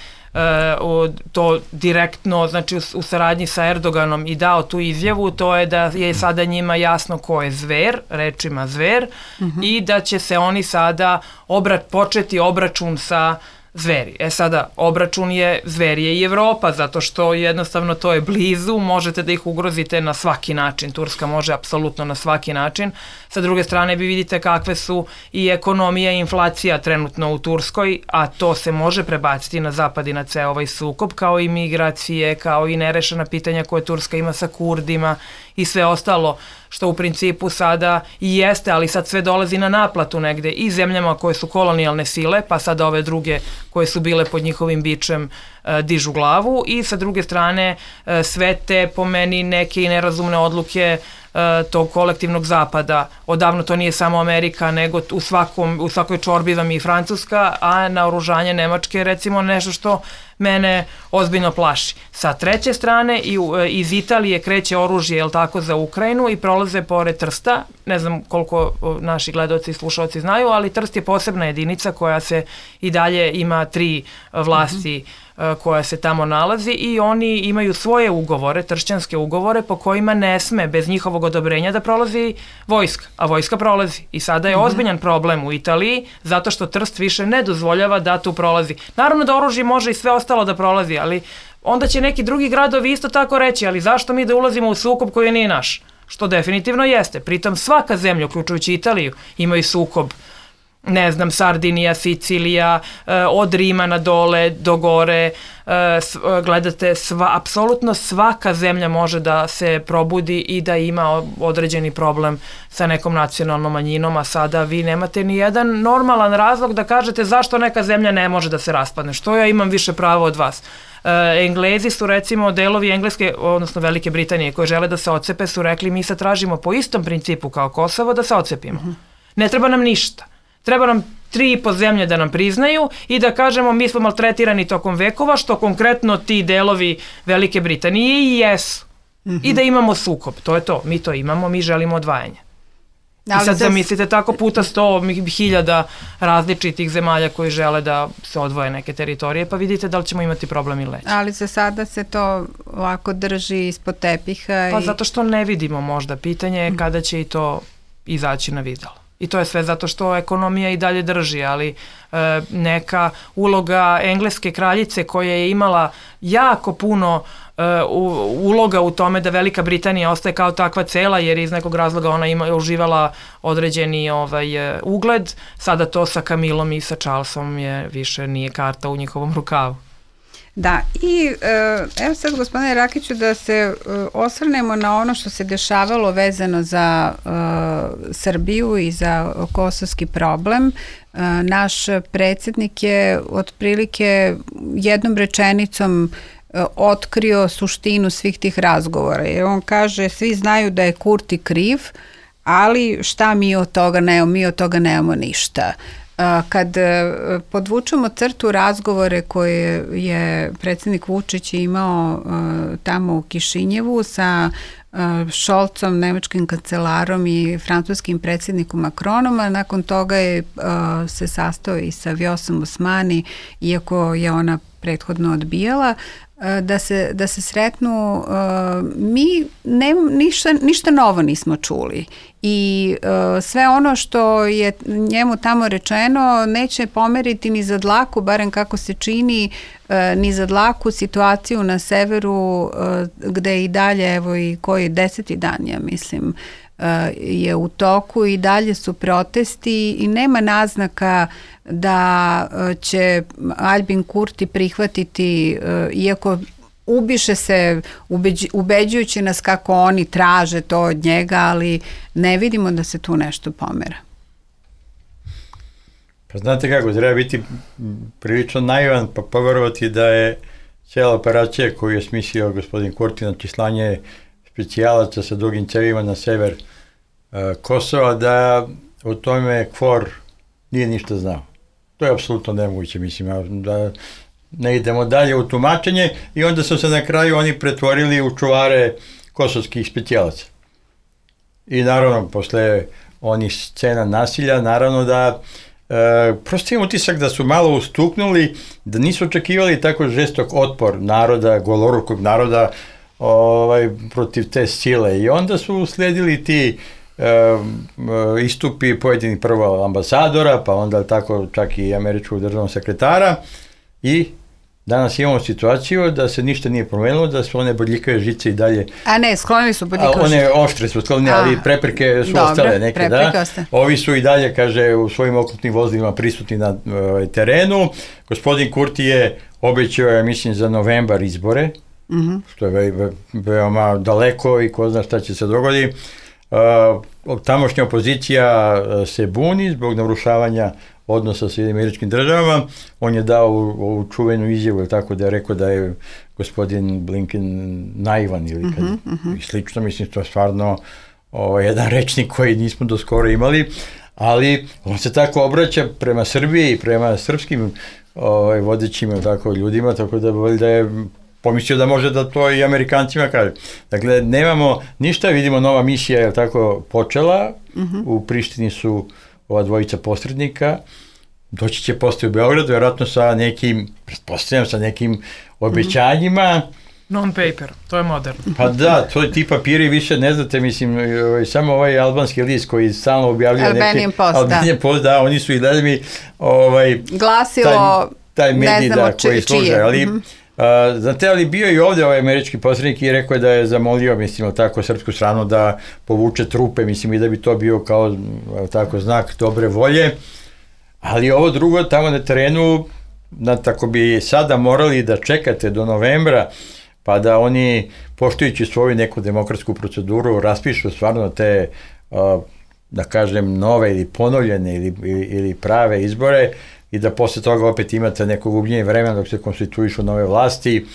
D: to direktno, znači u saradnji sa Erdoganom i dao tu izjavu, to je da je sada njima jasno ko je zver, rečima zver, mm-hmm. i da će se oni sada obra, početi obračun sa zveri. E sada, obračun je, zver je i Evropa, zato što jednostavno to je blizu, možete da ih ugrozite na svaki način. Turska može apsolutno na svaki način. Sa druge strane vi vidite kakve su i ekonomija i inflacija trenutno u Turskoj, a to se može prebaciti na zapad i na ceo ovaj sukob, kao i migracije, kao i nerešena pitanja koje Turska ima sa Kurdima i sve ostalo, što u principu sada i jeste, ali sad sve dolazi na naplatu negde i zemljama koje su kolonijalne sile, pa sada ove druge koje su bile pod njihovim bičem e, dižu glavu, i sa druge strane e, sve te po meni neke i nerazumne odluke e, tog kolektivnog zapada. Odavno to nije samo Amerika, nego u, svakom, u svakoj čorbi vam i Francuska, a naoružanje Nemačke je recimo nešto što mene ozbiljno plaši. Sa treće strane i, iz Italije kreće oružje, jel tako, za Ukrajinu i prolaze pored Trsta. Ne znam koliko naši gledaoci i slušalci znaju, ali Trst je posebna jedinica koja se i dalje ima tri vlasti mm-hmm. koja se tamo nalazi, i oni imaju svoje ugovore, tršćanske ugovore, po kojima ne sme bez njihovog odobrenja da prolazi vojska, a vojska prolazi. I sada je mm-hmm. ozbiljan problem u Italiji, zato što Trst više ne dozvoljava da tu prolazi. Naravno da oružje može i sve ostalo da prolazi, ali onda će neki drugi gradovi isto tako reći, ali zašto mi da ulazimo u sukob koji nije naš? Što definitivno jeste. Pritom svaka zemlja, uključujući Italiju, imaju sukob, ne znam, Sardinija, Sicilija, od Rima na dole, do gore, gledate, sva, apsolutno svaka zemlja može da se probudi i da ima određeni problem sa nekom nacionalnom manjinom, a sada vi nemate ni jedan normalan razlog da kažete zašto neka zemlja ne može da se raspadne, što ja imam više pravo od vas. Englezi su, recimo, delovi Engleske, odnosno Velike Britanije, koji žele da se odcepe, su rekli mi sad tražimo po istom principu kao Kosovo da se odcepimo. Uh-huh. Ne treba nam ništa. Treba nam tri i po zemlje da nam priznaju i da kažemo mi smo maltretirani tokom vekova, što konkretno ti delovi Velike Britanije i jesu. Mm-hmm. I da imamo sukob. To je to. Mi to imamo, mi želimo odvajanje. Ali I sad zamislite tako puta sto hiljada različitih zemalja koji žele da se odvoje neke teritorije, pa vidite da li ćemo imati problem ili neće.
C: Ali za sada se to ovako drži ispod tepiha.
D: Pa
C: i...
D: zato što ne vidimo možda. Pitanje je kada će i to izaći na videlo. I to je sve zato što ekonomija i dalje drži, ali e, neka uloga engleske kraljice koja je imala jako puno e, u, uloga u tome da Velika Britanija ostaje kao takva cela, jer iz nekog razloga ona ima uživala određeni ovaj, ugled, sada to sa Camillom i sa Charlesom je više nije karta u njihovom rukavu.
C: Da, i evo sad, gospodine Rakiću, da se osvrnemo na ono što se dešavalo vezano za uh, Srbiju i za kosovski problem. Uh, naš predsjednik je otprilike jednom rečenicom uh, otkrio suštinu svih tih razgovora. Jer on kaže, svi znaju da je Kurti kriv, ali šta mi od toga nemamo, mi od toga nemamo ništa. Kad podvučemo crtu razgovore koje je predsjednik Vučić imao tamo u Kišinjevu sa Šolcom, nemačkim kancelarom i francuskim predsjednikom Macronom, a nakon toga je se sastao i sa Vjosom Osmani, iako je ona prethodno odbijala, da se, da se sretnu, mi ne, ništa, ništa novo nismo čuli i sve ono što je njemu tamo rečeno neće pomeriti ni za dlaku, barem kako se čini, ni za dlaku situaciju na severu gde i dalje, evo i koji deseti dan, ja mislim, je u toku i dalje su protesti i nema naznaka da će Albin Kurti prihvatiti, iako ubiše se ubeđ, ubeđujući nas kako oni traže to od njega, ali ne vidimo da se tu nešto pomera.
E: Pa znate kako, treba biti prilično naivan pa poverovati da je cijela operacija koju je smislio gospodin Kurti, znači slanje specijalaca sa dugim cevima na sever uh, Kosova, da o tome Kvor nije ništa znao. To je apsolutno nemoguće, mislim, da ne idemo dalje u tumačenje i onda su se na kraju oni pretvorili u čuvare kosovskih specijalaca. I naravno, posle onih scena nasilja, naravno da E, prosto imam utisak da su malo ustuknuli, da nisu očekivali tako žestok otpor naroda, golorukog naroda ovaj, protiv te sile. I onda su sledili ti e, istupi pojedinih prvo ambasadora, pa onda tako čak i američkog državnog sekretara i danas imamo situaciju da se ništa nije promenilo, da su one bodljikave žice i dalje...
C: A ne, sklonili su bodljikave žice.
E: One oštre su sklonili, ali prepreke su
C: dobro,
E: ostale neke,
C: prepreke
E: da.
C: Ostaje.
E: Ovi su i dalje, kaže, u svojim oklopnim vozilima prisutni na uh, terenu. Gospodin Kurti je obećao, ja mislim, za novembar izbore, mm-hmm. što je ve, ve, veoma daleko i ko zna šta će se dogoditi. Uh, tamošnja opozicija se buni zbog narušavanja odnosa sa američkim državama. On je dao ovu čuvenu izjavu, tako da je rekao da je gospodin Blinken naivan ili kad, uh-huh, uh-huh. i slično. Mislim, to je stvarno o, jedan rečnik koji nismo do skoro imali, ali on se tako obraća prema Srbiji i prema srpskim o, vodećim tako, ljudima, tako da, da je pomislio da može da to i Amerikancima kaže. Dakle, nemamo ništa, vidimo nova misija je tako počela, uh-huh. u Prištini su ova dvojica posrednika, doći će postoji u Beogradu, vjerojatno sa nekim, pretpostavljam, sa nekim obećanjima.
D: Non-paper, to je moderno.
E: Pa da, to je ti papiri više ne znate, mislim, samo ovaj albanski list koji stalno objavljuje neke...
C: Albanian Post,
E: Albanian Post, da, oni su i gledali ovaj...
C: Glasilo,
E: taj, taj medij,
C: ne znamo
E: da, koji služe, ali... Mm-hmm. Uh, znate, ali bio i ovdje ovaj američki posrednik i rekao je da je zamolio, mislim, tako, srpsku stranu da povuče trupe, mislim, i da bi to bio kao, tako, znak dobre volje, ali ovo drugo tamo na terenu, na, tako bi sada morali da čekate do novembra, pa da oni, poštujući svoju neku demokratsku proceduru, raspišu stvarno te, uh, da kažem, nove ili ponovljene ili, ili, ili prave izbore, i da posle toga opet imate neko gubljenje vremena dok se konstituišu nove vlasti.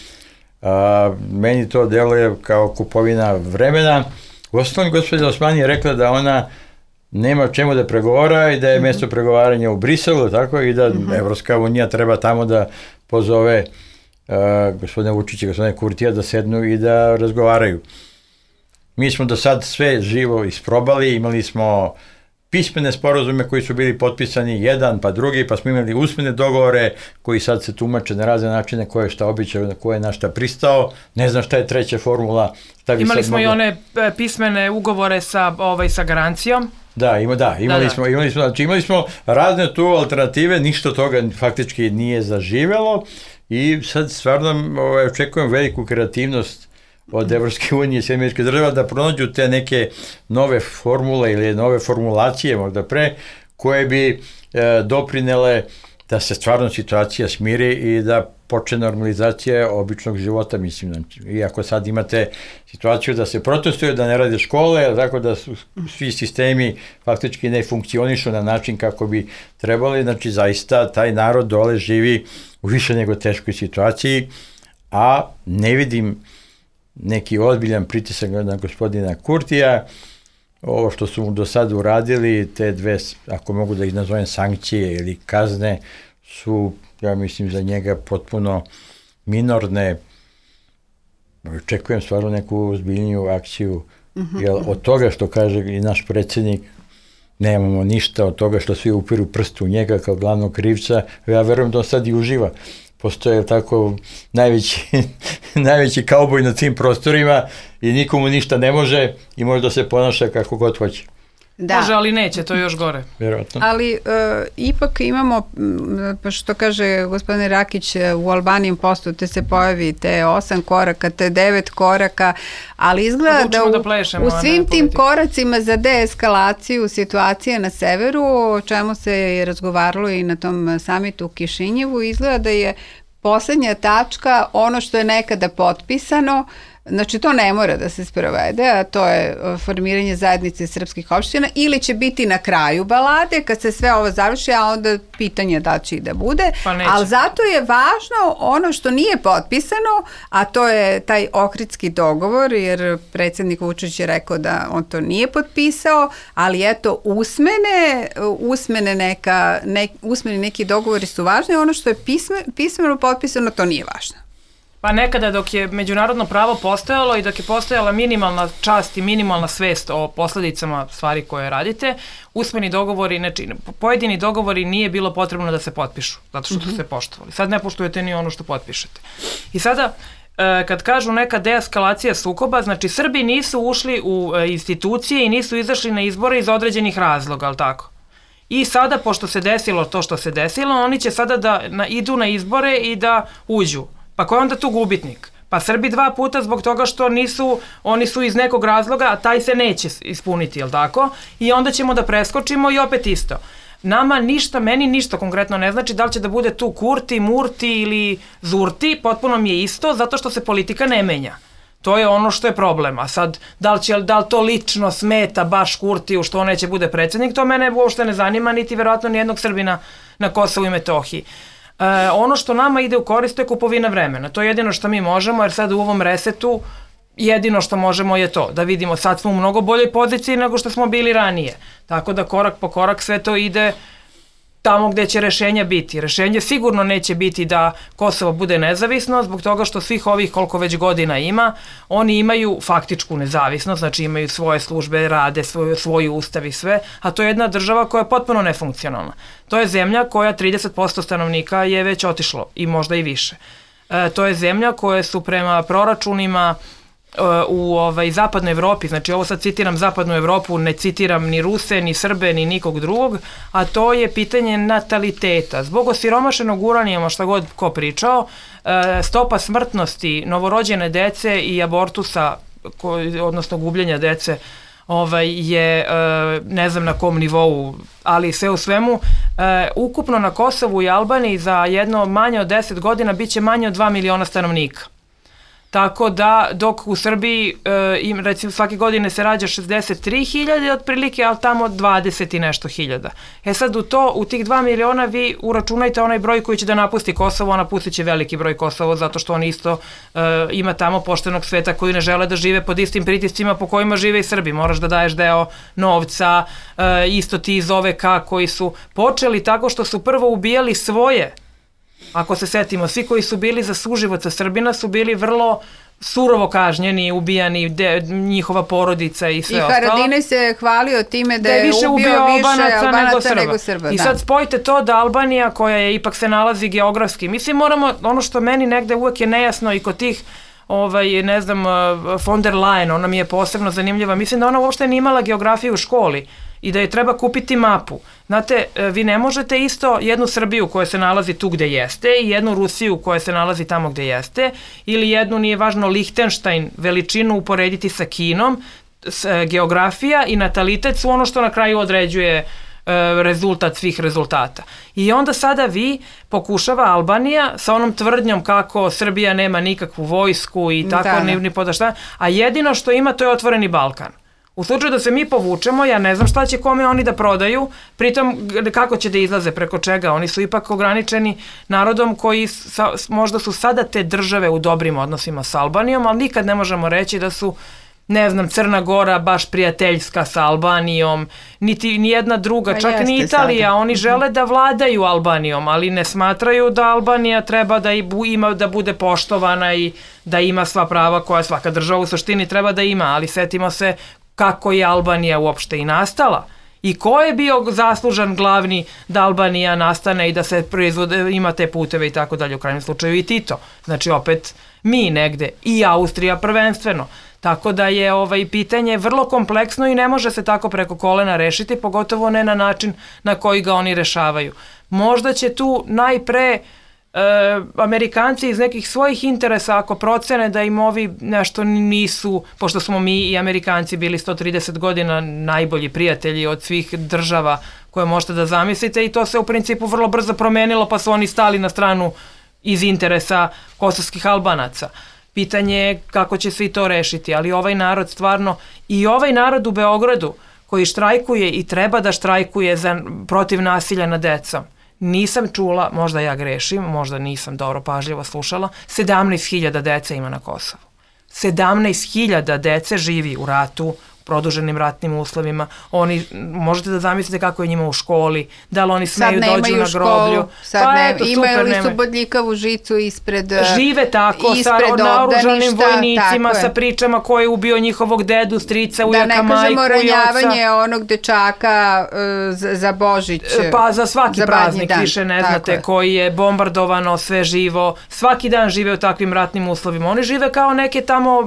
E: A, meni to deluje kao kupovina vremena. U osnovi gospođa Osmani je rekla da ona nema čemu da pregovara i da je mm-hmm. mjesto pregovaranja u Briselu, tako, i da mm-hmm. Evropska unija treba tamo da pozove a, gospodina Vučića i gospodina Kurtija da sednu i da razgovaraju. Mi smo do sad sve živo isprobali, imali smo pismene sporazume koji su bili potpisani, jedan pa drugi, pa smo imali usmene dogovore koji sad se tumače na razne načine, ko je šta običao, ko je na šta pristao, ne znam šta je treća formula.
D: Imali smo moglo... i one pismene ugovore sa, ovaj, sa garancijom.
E: Da, ima, da, imali, da, smo, imali, smo, znači imali smo razne tu alternative, ništa od toga faktički nije zaživelo i sad stvarno ovaj, očekujem veliku kreativnost od Evropske unije i američke države da pronađu te neke nove formule ili nove formulacije možda pre, koje bi e, doprinele da se stvarno situacija smiri i da počne normalizacija običnog života, mislim. Znači, iako sad imate situaciju da se protestuju, da ne rade škole, tako da su, svi sistemi faktički ne funkcionišu na način kako bi trebali, znači zaista taj narod dole živi u više nego teškoj situaciji, a ne vidim neki ozbiljan pritisak na gospodina Kurtija. Ovo što su mu do sada uradili, te dve, ako mogu da ih nazovem, sankcije ili kazne, su, ja mislim, za njega potpuno minorne. Očekujem stvarno neku ozbiljniju akciju, mm-hmm. jer od toga što kaže i naš predsjednik, nemamo ništa, od toga što svi upiru prstu u njega kao glavnog krivca, ja verujem da on sad i uživa. Postoje tako najveći, najveći kauboj na tim prostorima i nikomu ništa ne može i može da se ponaša kako god hoće.
C: Da.
D: Može, ali neće, to je još gore.
E: Vjerojatno.
C: Ali uh, ipak imamo, pa što kaže gospodin Rakić, u Albanian Postu te se pojavi te osam koraka, te devet koraka, ali izgleda da u,
D: da plešemo,
C: u svim tim koracima za deeskalaciju situacije na severu, o čemu se je razgovaralo i na tom samitu u Kišinjevu, izgleda da je poslednja tačka ono što je nekada potpisano. Znači, to ne mora da se sprovede, a to je formiranje zajednice srpskih opština, ili će biti na kraju balade, kad se sve ovo završi, a onda pitanje da će i da bude,
D: pa
C: ali zato je važno ono što nije potpisano, a to je taj Ohridski dogovor, jer predsjednik Vučić je rekao da on to nije potpisao, ali eto, usmene, usmene, neka, ne, usmeni neki dogovori su važni, ono što je pisme, pismeno potpisano, to nije važno.
D: Pa nekada dok je međunarodno pravo postojalo i dok je postojala minimalna čast i minimalna svest o posledicama stvari koje radite, usmeni dogovori, znači pojedini dogovori nije bilo potrebno da se potpišu, zato što su se poštovali. Sad ne poštujete ni ono što potpišete. I sada, kad kažu neka deeskalacija sukoba, znači Srbi nisu ušli u institucije i nisu izašli na izbore iz određenih razloga, ali tako? I sada, pošto se desilo to što se desilo, oni će sada da na, idu na izbore i da uđu. Pa ko je onda tu gubitnik? Pa Srbi dva puta zbog toga što nisu, oni su iz nekog razloga, a taj se neće ispuniti, jel tako? I onda ćemo da preskočimo i opet isto. Nama ništa, meni ništa konkretno ne znači da li će da bude tu Kurti, Murti ili Zurti, potpuno mi je isto, zato što se politika ne menja. To je ono što je problem. A sad, da li, će, da li to lično smeta baš Kurtiju što on neće bude predsjednik, to mene uopšte ne zanima, niti verovatno nijednog Srbina na Kosovu i Metohiji. E, ono što nama ide u korist je kupovina vremena. To je jedino što mi možemo, jer sad u ovom resetu jedino što možemo je to, da vidimo sad smo u mnogo boljoj poziciji nego što smo bili ranije. Tako da korak po korak sve to ide tamo gde će rešenja biti. Rešenje sigurno neće biti da Kosovo bude nezavisno, zbog toga što svih ovih koliko već godina ima, oni imaju faktičku nezavisnost, znači imaju svoje službe, rade, svoj, svoj ustav i sve, a to je jedna država koja je potpuno nefunkcionalna. To je zemlja koja trideset posto stanovnika je već otišlo i možda i više. E, to je zemlja koja su prema proračunima u ovaj, zapadnoj Evropi, znači ovo sad citiram zapadnu Evropu, ne citiram ni Ruse, ni Srbe, ni nikog drugog, a to je pitanje nataliteta. Zbog osiromašenog uranijuma, šta god ko pričao, stopa smrtnosti novorođene dece i abortusa, odnosno gubljenja dece, ovaj, je ne znam na kom nivou, ali sve u svemu, ukupno na Kosovu i Albaniji za jedno manje od deset godina bit će manje od dva miliona stanovnika. Tako da, dok u Srbiji, e, im, recimo, svake godine se rađa šezdeset tri hiljade otprilike, ali tamo dvadeset i nešto hiljada. E sad, u to, u tih dva miliona vi uračunajte onaj broj koji će da napusti Kosovo, a napustit će veliki broj Kosovo, zato što on isto e, ima tamo poštenog sveta koji ne žele da žive pod istim pritiscima po kojima žive i Srbi. Moraš da daješ deo novca, e, isto ti iz O V K koji su počeli tako što su prvo ubijali svoje. Ako se setimo, svi koji su bili za suživot sa Srbina su bili vrlo surovo kažnjeni, ubijani, de, njihova porodica i sve ostalo.
C: I Haradinaj se hvalio time da, da je više ubio, ubio više Albanaca, Albanaca nego Srba. Nego Srba
D: I
C: da. Sad
D: spojite to da Albanija, koja je ipak se nalazi geografski, mislim moramo, ono što meni negde uvek je nejasno i kod tih ovaj, ne znam, von der Leyen, ona mi je posebno zanimljiva, mislim da ona uopšte nije imala geografiju u školi i da je treba kupiti mapu. Znate, vi ne možete isto jednu Srbiju koja se nalazi tu gde jeste i jednu Rusiju koja se nalazi tamo gde jeste, ili jednu, nije važno, Lihtenštajn, veličinu uporediti sa Kinom, s, geografija i natalitet su ono što na kraju određuje e, rezultat svih rezultata. I onda sada vi pokušava Albanija sa onom tvrdnjom kako Srbija nema nikakvu vojsku i tako, da, ni, ni podašta, a jedino što ima to je otvoreni Balkan. U slučaju da se mi povučemo, ja ne znam šta će kome oni da prodaju, pritom kako će da izlaze, preko čega. Oni su ipak ograničeni narodom koji sa, možda su sada te države u dobrim odnosima sa Albanijom, ali nikad ne možemo reći da su, ne znam, Crna Gora baš prijateljska sa Albanijom, niti nijedna druga, čak ni Italija. Sada. Oni žele da vladaju Albanijom, ali ne smatraju da Albanija treba da, ima, da bude poštovana i da ima sva prava koja svaka država u suštini treba da ima, ali setimo se kako je Albanija uopšte i nastala i ko je bio zaslužan glavni da Albanija nastane i da se proizvode, ima te puteve i tako dalje, u krajnjem slučaju i Tito. Znači opet mi negde i Austrija prvenstveno. Tako da je ovaj pitanje vrlo kompleksno i ne može se tako preko kolena rešiti, pogotovo ne na način na koji ga oni rešavaju. Možda će tu najpre E, Amerikanci iz nekih svojih interesa, ako procene da im ovi nešto nisu, pošto smo mi i Amerikanci bili sto trideset godina najbolji prijatelji od svih država koje možete da zamislite, i to se u principu vrlo brzo promenilo, pa su oni stali na stranu iz interesa kosovskih Albanaca. Pitanje je kako će se i to rešiti, ali ovaj narod stvarno, i ovaj narod u Beogradu koji štrajkuje i treba da štrajkuje za, protiv nasilja nad decom, nisam čula, možda ja grešim, možda nisam dobro pažljivo slušala, sedamnaest hiljada dece ima na Kosovu. sedamnaest hiljada dece živi u ratu, produženim ratnim uslovima. Oni, možete da zamislite kako je njima u školi, da li oni smeju dođu na groblju.
C: Sad pa, ne, eto, imaju li su bodljikavu žicu ispred
D: žive tako, sa naoružanim vojnicima, sa pričama ko je ubio njihovog dedu, strica, ujaka, majku,
C: da ne kažemo ranjavanje
D: oca.
C: Onog dečaka uh, za, za Božić.
D: Pa za svaki
C: za
D: praznik,
C: dan.
D: više ne
C: tako
D: znate,
C: je.
D: koji je bombardovano, sve živo, svaki dan žive u takvim ratnim uslovima. Oni žive kao neke tamo,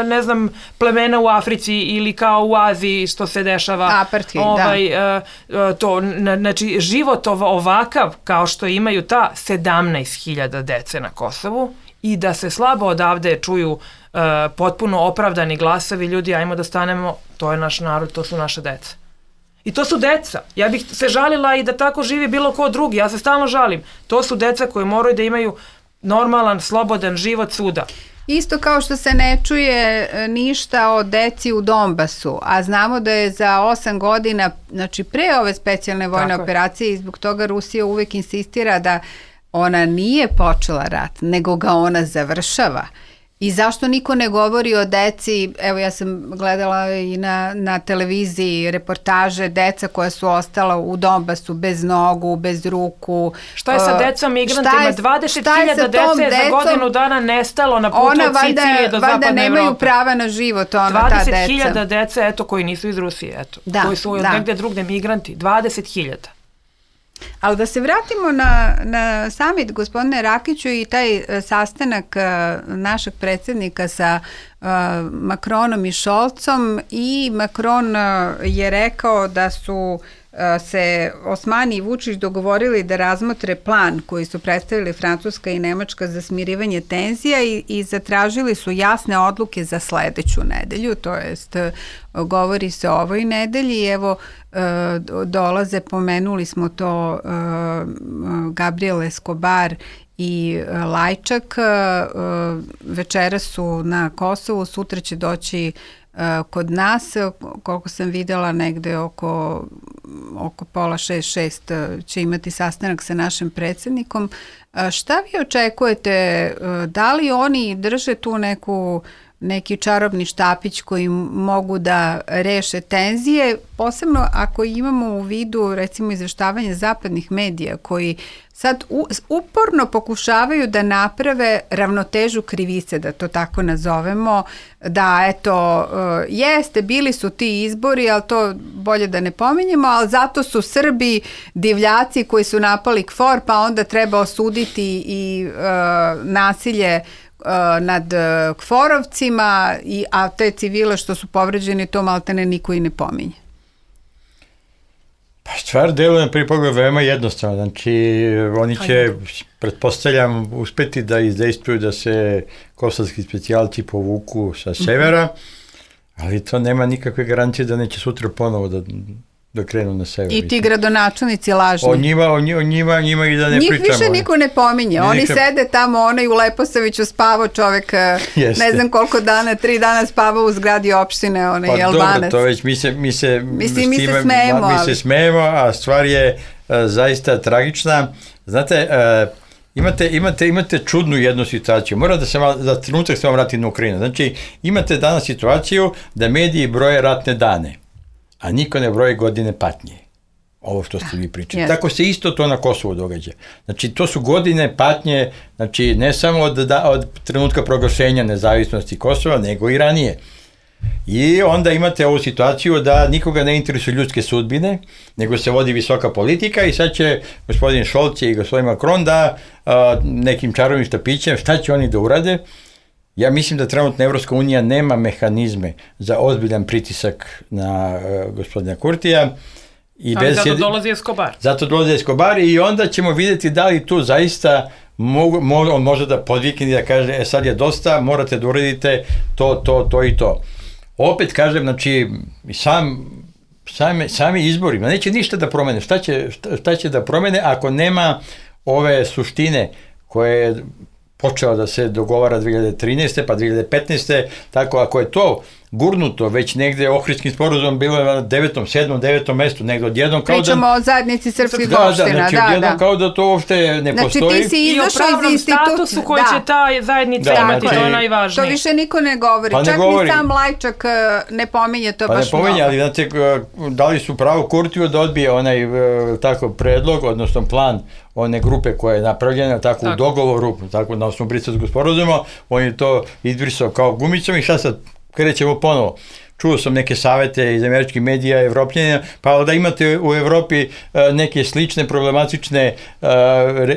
D: ne znam, plemena u Africi ili kao u Aziji što se dešava.
C: Apartheid,
D: ovaj,
C: da.
D: Uh, to, znači, život ovakav kao što imaju ta sedamnaest hiljada dece na Kosovu i da se slabo odavde čuju uh, potpuno opravdani glasovi, ljudi, ajmo da stanemo, to je naš narod, to su naše deca. I to su deca. Ja bih se žalila i da tako živi bilo ko drugi, ja se stalno žalim. To su deca koje moraju da imaju normalan, slobodan život svuda.
C: Isto kao što se ne čuje ništa o deci u Donbasu, a znamo da je za osam godina, znači pre ove specijalne vojne Tako operacije, i zbog toga Rusija uvek insistira da ona nije počela rat, nego ga ona završava. I zašto niko ne govori o deci, evo ja sam gledala i na, na televiziji reportaže deca koja su ostala u Donbasu bez nogu, bez ruku.
D: Šta je sa decom migrantima? dvadeset hiljada dece je za godinu dana nestalo na putu od Sicilije do zapadne Evrope.
C: Ona nemaju prava na život, ona ta deca.
D: dvadeset hiljada dece, eto, koji nisu iz Rusije, eto, da, koji su da. negde drugde migranti. dvadeset hiljada.
C: Ali da se vratimo na, na summit, gospodine Rakiću, i taj sastanak našeg predsjednika sa uh, Macronom i Scholzom, i Macron je rekao da su se Osmani i Vučić dogovorili da razmotre plan koji su predstavili Francuska i Nemačka za smirivanje tenzija i, i zatražili su jasne odluke za sledeću nedelju, to jest govori se o ovoj nedelji. Evo dolaze, pomenuli smo to, Gabriel Escobar i Lajčak, večera su na Kosovu, sutra će doći kod nas, koliko sam videla, negde oko, oko pola šest, šest će imati sastanak sa našim predsjednikom. Šta vi očekujete? Da li oni drže tu neku, neki čarobni štapić koji mogu da reše tenzije, posebno ako imamo u vidu recimo izveštavanje zapadnih medija koji sad uporno pokušavaju da naprave ravnotežu krivice, da to tako nazovemo, da eto, jeste, bili su ti izbori, ali to bolje da ne pominjemo, ali zato su Srbi divljaci koji su napali K F O R, pa onda treba osuditi i uh, nasilje nad K F O R-ovcima, a te civile što su povređeni, to maltene niko i ne pominje.
E: Pa stvar deluje na prvi pogled veoma jednostavno. Znači, oni će, pretpostavljam, uspeti da izdejstvuju da se kosovski specijalci povuku sa severa, ali to nema nikakve garancije da neće sutra ponovo da... da krenu na sever.
C: I ti gradonačelnici lažni.
E: O njima, o njima, njima i da ne
C: Njih
E: pričamo.
C: Njih više niko ne pominje. Oni nikad... sede tamo, onaj u Leposaviću spavao čovek, Jeste. ne znam koliko dana, tri dana spavao u zgradi opštine, onaj
E: pa
C: Albanac.
E: Pa dobro, to već mi se, mi se,
C: Mislim, mi
E: time,
C: se smejemo.
E: Mi
C: ali...
E: se smejemo, a stvar je uh, zaista tragična. Znate, uh, imate, imate, imate čudnu jednu situaciju. Mora da se malo, za trenutak se vam vrati na Ukrajinu. Znači, imate danas situaciju da mediji broje ratne dane, a niko ne broji godine patnje. Ovo što ste vi pričali. Yes. Tako se isto to na Kosovu događa. Znači, to su godine patnje, znači, ne samo od, da, od trenutka proglašenja nezavisnosti Kosova, nego i ranije. I onda imate ovu situaciju da nikoga ne interesuju ljudske sudbine, nego se vodi visoka politika i sad će gospodin Scholz i gospodin Macron da a, nekim čarovnim štapićem, šta će oni da urade? Ja mislim da trenutno Evropska unija nema mehanizme za ozbiljan pritisak na uh, gospodina Kurtija. I
D: ali
E: bez
D: zato
E: jed...
D: dolazi Escobar.
E: Zato dolazi Escobar i onda ćemo vidjeti da li tu zaista mogu, mo, on može da podvikne i da kaže, e sad je dosta, morate da uradite to, to, to i to. Opet kažem, znači, sam, same, sami izbori, neće ništa da promene. Šta će, šta, šta će da promene ako nema ove suštine koje je počeo da se dogovara dve hiljade trinaeste pa dve hiljade petnaeste. Tako, ako je to gurnuto, već negde Ohridskim sporazumom bilo je na devetom, sedmom, devetom mestu, negde odjednom kao
C: Pričamo
E: da...
C: o zajednici srpskih
E: da,
C: opština,
E: da, znači,
C: da,
E: odjednom
C: da.
E: kao da to uopšte ne
C: znači,
E: postoji.
C: Ti si
D: I o pravnom statusu koji
C: da.
D: će ta zajednica
C: da,
D: imati, to je
C: to
D: najvažnije.
C: To više niko ne govori,
E: pa ne
C: čak
E: govori.
C: ni sam Lajčak ne pominje to
E: pa
C: baš
E: ne pominje,
C: mnogo.
E: ali znate, dali su pravo Kurtiju da odbije onaj tako predlog, odnosno plan one grupe koja je napravljena tako, tako. u dogovoru, tako na osnovu Briselskog sporazuma, on je to izbrisao kao gumicom i šta sad krećemo ponovo. Čuo sam neke savete iz američkih medija, evropljenja, pa da imate u Evropi neke slične problematične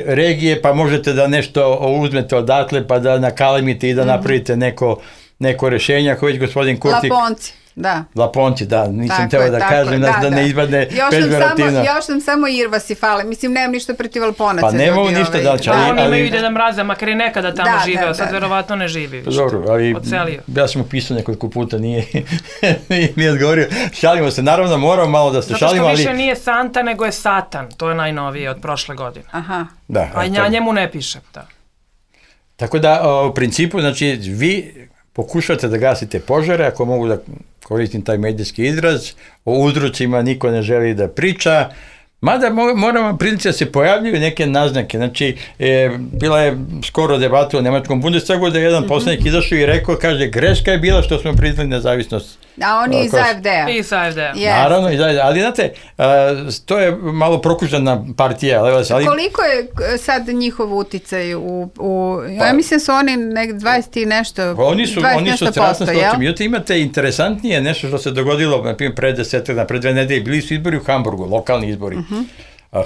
E: regije, pa možete da nešto uzmete odatle, pa da nakalemite i da napravite neko, neko rešenje, ako već gospodin Kurti...
C: Laponci. Da.
E: Laponci, da, nisam teo da kažem,
C: da,
E: da, da ne izbadne pežorativno.
C: Još nam samo Irvasi fale, mislim, nemam ništa protiv Laponaca.
E: Pa nemamo ništa ovaj, da će, ali...
D: Da, oni
E: ali,
D: imaju Deda Mraza, makar i nekada tamo
C: da,
D: živeo,
C: da,
D: sad
C: da.
D: verovatno ne živi više.
E: Dobro, ali
D: Odselio.
E: Ja sam upisao nekoliko puta, nije, nije mi odgovorio. Šalimo se, naravno moramo malo da se
D: Zato
E: šalimo, ali...
D: Zato što više nije Santa, nego je Satan, to je najnovije od prošle godine.
C: Aha.
E: Da,
D: a ja njemu ne piše, da.
E: Tako da, u principu, znači, vi pokušate da gasite požare, ako mogu da koristim taj medijski izraz, o uzrocima niko ne želi da priča, mada moramo priznati da se pojavljuju neke naznake. Znači, e, bila je skoro debata u Nemačkom Bundestagu da je jedan poslanik izašao i rekao, kaže, greška je bila što smo priznali nezavisnost.
C: A oni iz A F D-a.
D: Iz A F D-a.
C: Yes.
E: Naravno, ali znate, to je malo prokužana partija. Ali...
C: Koliko je sad njihov uticaj u... u pa, ja mislim su oni nek dvadeset i nešto,
E: oni su,
C: dvadeset
E: oni
C: nešto
E: su strašno
C: posto, jel?
E: Međutim, imate interesantnije nešto što se dogodilo, na primjer, pre desetak, pre dve nedelje, bili su izbori u Hamburgu, lokalni izbori. Uh-huh.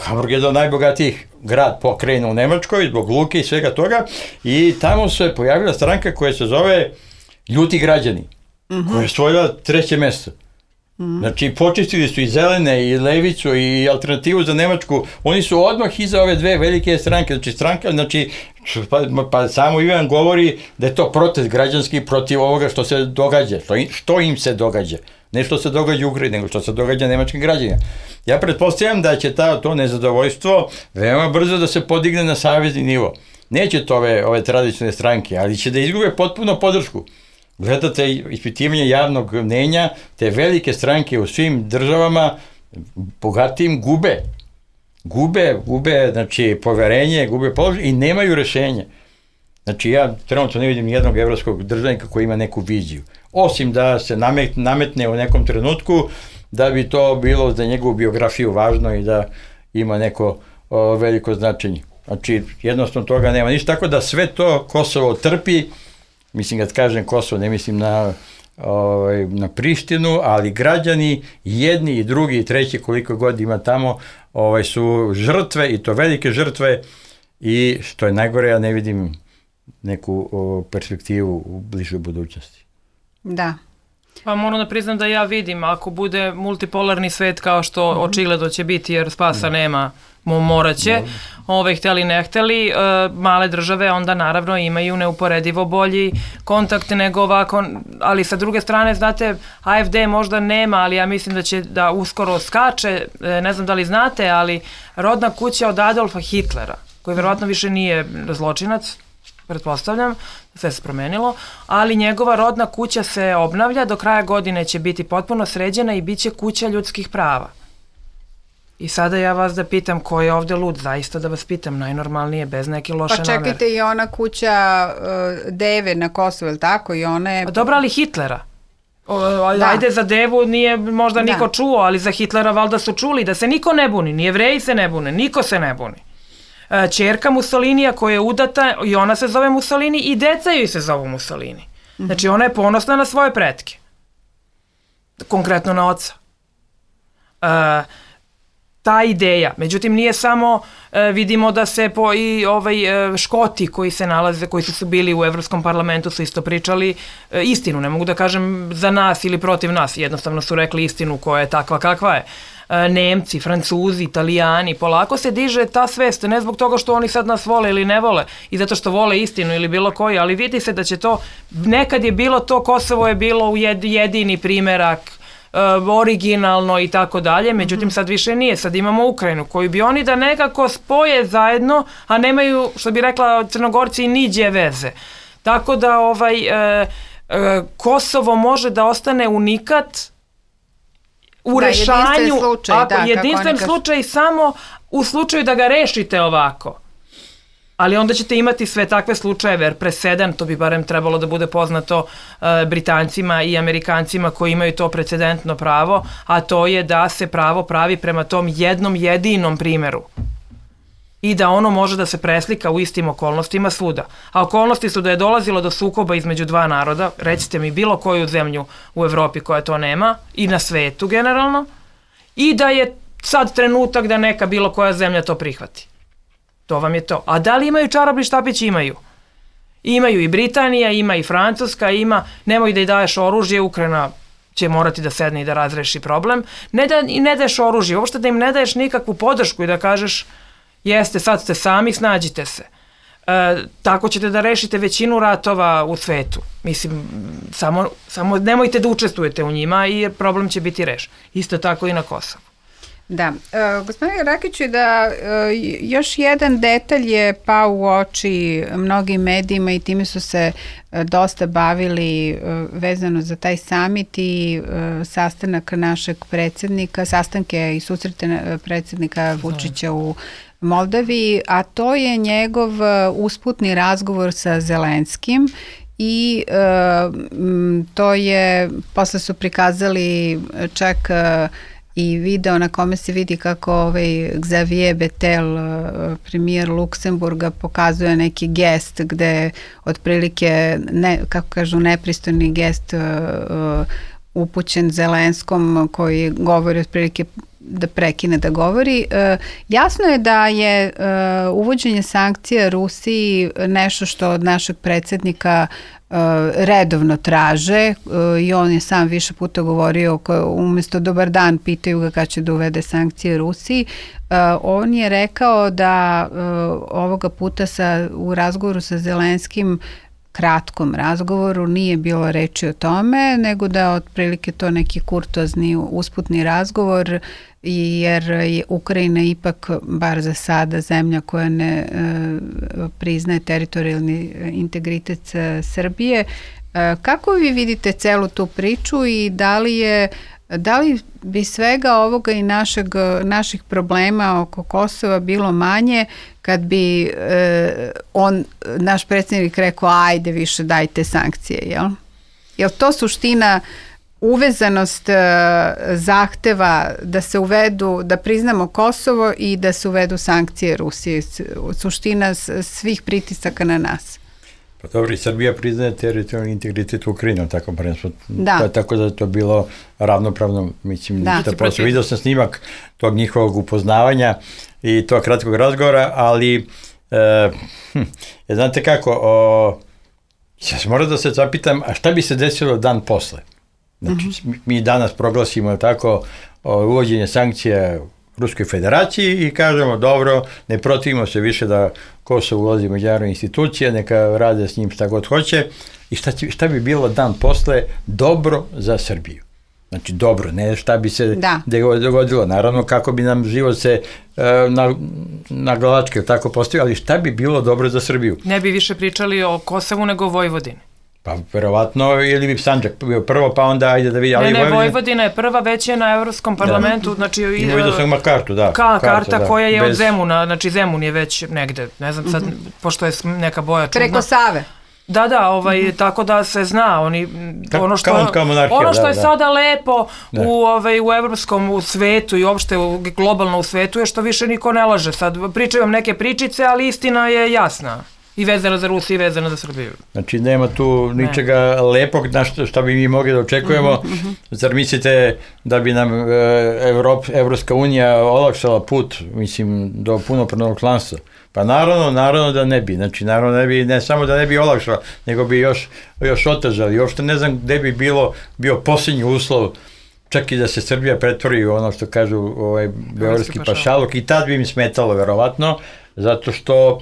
E: Hamburg je jedan od najbogatijih grad pokrajina u Nemačkoj, zbog luke i svega toga, i tamo se pojavila stranka koja se zove Ljuti građani, uh-huh. koja je osvojila treće mesto. Mm. Znači, počistili su i Zelene, i Levicu, i Alternativu za Nemačku. Oni su odmah iza ove dve velike stranke. Znači, stranka, znači, pa, pa samo Ivan govori da je to protest građanski protiv ovoga što se događa, što, što im se događa. Ne što se događa u Ukrajini, nego što se događa nemačkim građanima. Ja pretpostavljam da će ta, to nezadovoljstvo veoma brzo da se podigne na savezni nivo. Neće to ove, ove tradicionalne stranke, ali će da izgube potpuno podršku. Gledate ispitivanje javnog mnenja, te velike stranke u svim državama bogatim gube. Gube, gube, znači, poverenje, gube položaj i nemaju rešenja. Znači, ja trenutno ne vidim nijednog evropskog državnika koji ima neku viziju. Osim da se nametne u nekom trenutku da bi to bilo za njegovu biografiju važno i da ima neko o, veliko značenje. Znači, jednostavno toga nema ništa, tako da sve to Kosovo trpi. Mislim, kad kažem Kosovo, ne mislim na, ovaj, na Prištinu, ali građani, jedni i drugi i treći, koliko god ima tamo, ovaj, su žrtve, i to velike žrtve, i što je najgore, ja ne vidim neku o, perspektivu u bližoj budućnosti.
C: Da.
D: Pa moram da priznam da ja vidim, ako bude multipolarni svet kao što mm-hmm. očigledno će biti, jer spasa mm. nema, morat će, ove hteli ne hteli, uh, male države onda naravno imaju neuporedivo bolji kontakt nego ovako, ali sa druge strane, znate, A F D možda nema, ali ja mislim da će da uskoro skače, ne znam da li znate, ali rodna kuća od Adolfa Hitlera, koji verovatno više nije zločinac, pretpostavljam, sve se promenilo, ali njegova rodna kuća se obnavlja, do kraja godine će biti potpuno sređena i bit će kuća ljudskih prava. I sada ja vas da pitam ko je ovde lud, zaista da vas pitam, najnormalnije, bez neke loše namere.
C: Pa čekajte, i ona kuća uh, Deve na Kosovu, je li tako? I ona je...
D: A dobro, ali Hitlera. O,
C: da.
D: Ajde, za Devu nije možda
C: da.
D: niko čuo, ali za Hitlera valjda su čuli, da se niko ne buni, ni Jevreji se ne bune, niko se ne buni. E, čerka Mussolinija koja je udata, i ona se zove Mussolini, i deca joj se zovu Mussolini. Znači, ona je ponosna na svoje pretke. Konkretno na oca. E, ta ideja, međutim nije samo, e, vidimo da se po, i ovaj, e, Škoti koji se nalaze, koji su bili u Evropskom parlamentu su isto pričali e, istinu, ne mogu da kažem za nas ili protiv nas, jednostavno su rekli istinu koja je takva kakva je. E, Nemci, Francuzi, Italijani, polako se diže ta svest, ne zbog toga što oni sad nas vole ili ne vole i zato što vole istinu ili bilo koji, ali vidi se da će to, nekad je bilo to, Kosovo je bilo jedini primerak, Uh, originalno i tako dalje, međutim sad više nije, sad imamo Ukrajinu koju bi oni da nekako spoje zajedno, a nemaju, što bi rekla Crnogorci, niđe veze. Tako da ovaj, uh, Kosovo može da ostane unikat u
C: da,
D: rešavanju,
C: jedinstven slučaj,
D: ako,
C: da,
D: jedinstven
C: kaž...
D: slučaj samo u slučaju da ga rešite ovako. Ali onda ćete imati sve takve slučajeve, jer presedan, to bi barem trebalo da bude poznato uh, Britancima i Amerikancima koji imaju to precedentno pravo, a to je da se pravo pravi prema tom jednom jedinom primeru. I da ono može da se preslika u istim okolnostima svuda. A okolnosti su da je dolazilo do sukoba između dva naroda, recite mi bilo koju zemlju u Evropi koja to nema, i na svetu generalno, i da je sad trenutak da neka bilo koja zemlja to prihvati. To vam je to. A da li imaju čarobni štapić? Imaju. Imaju i Britanija, ima i Francuska, ima, nemoj da i daješ oružje, Ukrajina će morati da sedne i da razreši problem. Ne da i ne daješ oružje, uopšte da im ne daješ nikakvu podršku i da kažeš jeste, sad ste sami, snađite se. E, tako ćete da rešite većinu ratova u svetu. Mislim, samo, samo nemojte da učestvujete u njima i problem će biti rešen. Isto tako i na Kosovu.
C: Da, e, gospodine Rakiću, da e, još jedan detalj je pao u oči mnogim medijima i time su se e, dosta bavili e, vezano za taj samit i e, sastanak našeg predsjednika, sastanke i susrete predsjednika Vučića u Moldaviji, a to je njegov usputni razgovor sa Zelenskim i e, to je, posle su prikazali čak e, i video na kome se vidi kako ovaj Xavier Bettel, premijer Luksemburga, pokazuje neki gest gde otprilike, ne, kako kažu, nepristojni gest uh, upućen Zelenskom koji govori otprilike da prekine da govori. Uh, jasno je da je uh, uvođenje sankcija Rusiji nešto što od našeg predsjednika Uh, redovno traže uh, i on je sam više puta govorio ko, umjesto dobar dan pitaju ga kada će da uvede sankcije Rusiji. Uh, on je rekao da uh, ovoga puta sa, u razgovoru sa Zelenskim, kratkom razgovoru, nije bilo reči o tome, nego da otprilike to neki kurtozni usputni razgovor, jer je Ukrajina ipak, bar za sada, zemlja koja ne e, priznaje teritorijalni integritet Srbije. E, kako vi vidite celu tu priču i da li je Da li bi svega ovoga i našeg, naših problema oko Kosova bilo manje kad bi e, on, naš predsjednik rekao ajde više dajte sankcije, jel? Jel to suština, uvezanost e, zahteva da se uvedu, da priznamo Kosovo i da se uvedu sankcije Rusije, suština svih pritisaka na nas?
E: Pa dobro, i Srbija priznaje teritorijalni integritet Ukrajine, tako prvenstvo.
C: Da.
E: Tako da je to bilo ravnopravno, mislim,
C: da.
E: ništa posle. Vidio sam snimak tog njihovog upoznavanja i tog kratkog razgovora, ali e, hm, znate kako, o, ja sam morao da se zapitam, a šta bi se desilo dan posle? Znači, uh-huh. mi danas proglasimo tako o, uvođenje sankcija Ruskoj federaciji i kažemo dobro, ne protivimo se više da Kosovo ulazi u međunarodne institucije, neka rade s njim šta god hoće i šta, će, šta bi bilo dan posle dobro za Srbiju. Znači dobro, ne šta bi se da. dogodilo, naravno kako bi nam život se e, na, na glavačke tako postavio, ali šta bi bilo dobro za Srbiju?
D: Ne bi više pričali o Kosovu nego o Vojvodini.
E: Pa verovatno, ili bi Sandžak bio prvo, pa onda ajde da vidi.
D: Ne,
E: ali
D: ne,
E: Vojvodina...
D: Vojvodina je prva, već je na Evropskom parlamentu, da. Znači...
E: I vidio sam ima kartu, da.
D: Ka, karta, karta
E: da.
D: koja je
E: Bez...
D: od Zemuna, znači Zemun je već negde, ne znam sad, mm-hmm. pošto je neka boja čudna.
C: Preko Save.
D: Da, da, ovaj, mm-hmm. tako da se zna, oni,
E: Ka,
D: ono što,
E: kao, kao monarhija,
D: ono što
E: da,
D: je
E: da.
D: sada lepo
E: da.
D: u, ovaj, u evropskom u svetu i uopšte u, globalno u svetu je što više niko ne laže. Sad pričaju vam neke pričice, ali istina je jasna. I vezana za Rusiju i vezana za Srbiju.
E: Znači nema tu ničega ne. lepog na što, što bi mi mogli da očekujemo. Mm-hmm. Zar mislite da bi nam e, Evrop, Evropska unija olakšala put, mislim, do punopravnog članstva? Pa naravno, naravno da ne bi. Znači naravno ne bi, ne samo da ne bi olakšala, nego bi još, još otežali. I uopšte ne znam gde bi bilo, bio posljednji uslov čak i da se Srbija pretvori u ono što kažu ovaj, beogradski pašaluk i tad bi im smetalo verovatno, zato što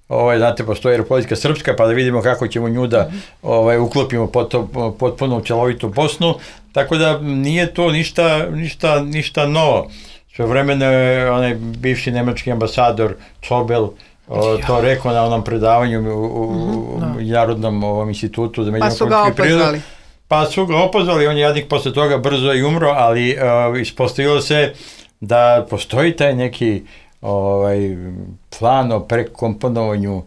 E: ovaj, znate, postoji Republika Srpska, pa da vidimo kako ćemo nju da ovaj, uklopimo potpuno, potpuno u celovitu Bosnu, tako da nije to ništa, ništa, ništa novo. Sve vremeno je onaj bivši nemački ambasador Čobel o, to rekao na onom predavanju u, u, mm-hmm, u Narodnom ovom institutu za međunarodnu prirodu. Pa su ga opozvali, on je jadnik posle toga brzo i umro, ali uh, ispostavilo se da postoji taj neki ovaj, plan o prekomponovanju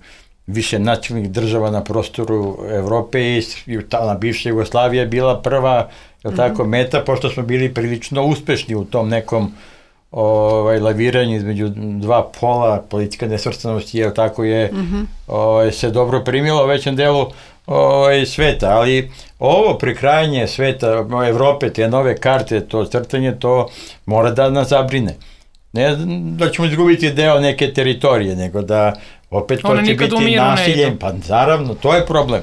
E: više nacionalnih država na prostoru Evrope i ta bivša Jugoslavija je bila prva, je tako, meta, pošto smo bili prilično uspešni u tom nekom ovaj, laviranju između dva pola, politika nesvrstanosti, je tako, je mm-hmm, ovaj, se dobro primila u većem delu ovaj, sveta, ali ovo prekrajanje sveta, Evrope, te nove karte, to crtanje, to mora da nas zabrine. Ne da ćemo izgubiti deo neke teritorije, nego da opet to
D: One
E: će biti nasilje, pa naravno, to je problem.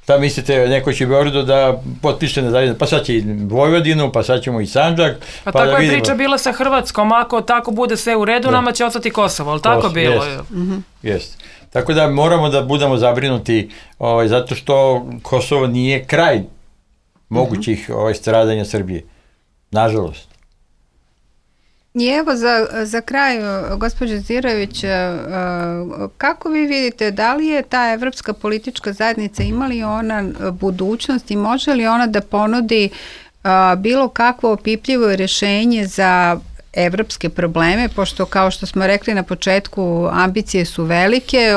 E: Da mislite, neko će u Beogradu da potpiše nezavisnost, pa sad će i Vojvodinu, pa sad ćemo i Sandžak.
D: Pa,
E: pa
D: tako
E: da
D: je
E: vidimo.
D: Priča bila sa Hrvatskom, ako tako bude sve u redu, da, nama će ostati Kosovo, ali tako
E: Kosovo,
D: bilo?
E: Jest, mm-hmm, jest. Tako da moramo da budemo zabrinuti ovaj, zato što Kosovo nije kraj mogućih ovaj, stradanja Srbije. Nažalost.
C: I evo za, za kraj, gospođo Zirović, kako vi vidite, da li je ta evropska politička zajednica, ima li ona budućnost i može li ona da ponudi bilo kakvo opipljivo rješenje za evropske probleme, pošto kao što smo rekli na početku, ambicije su velike,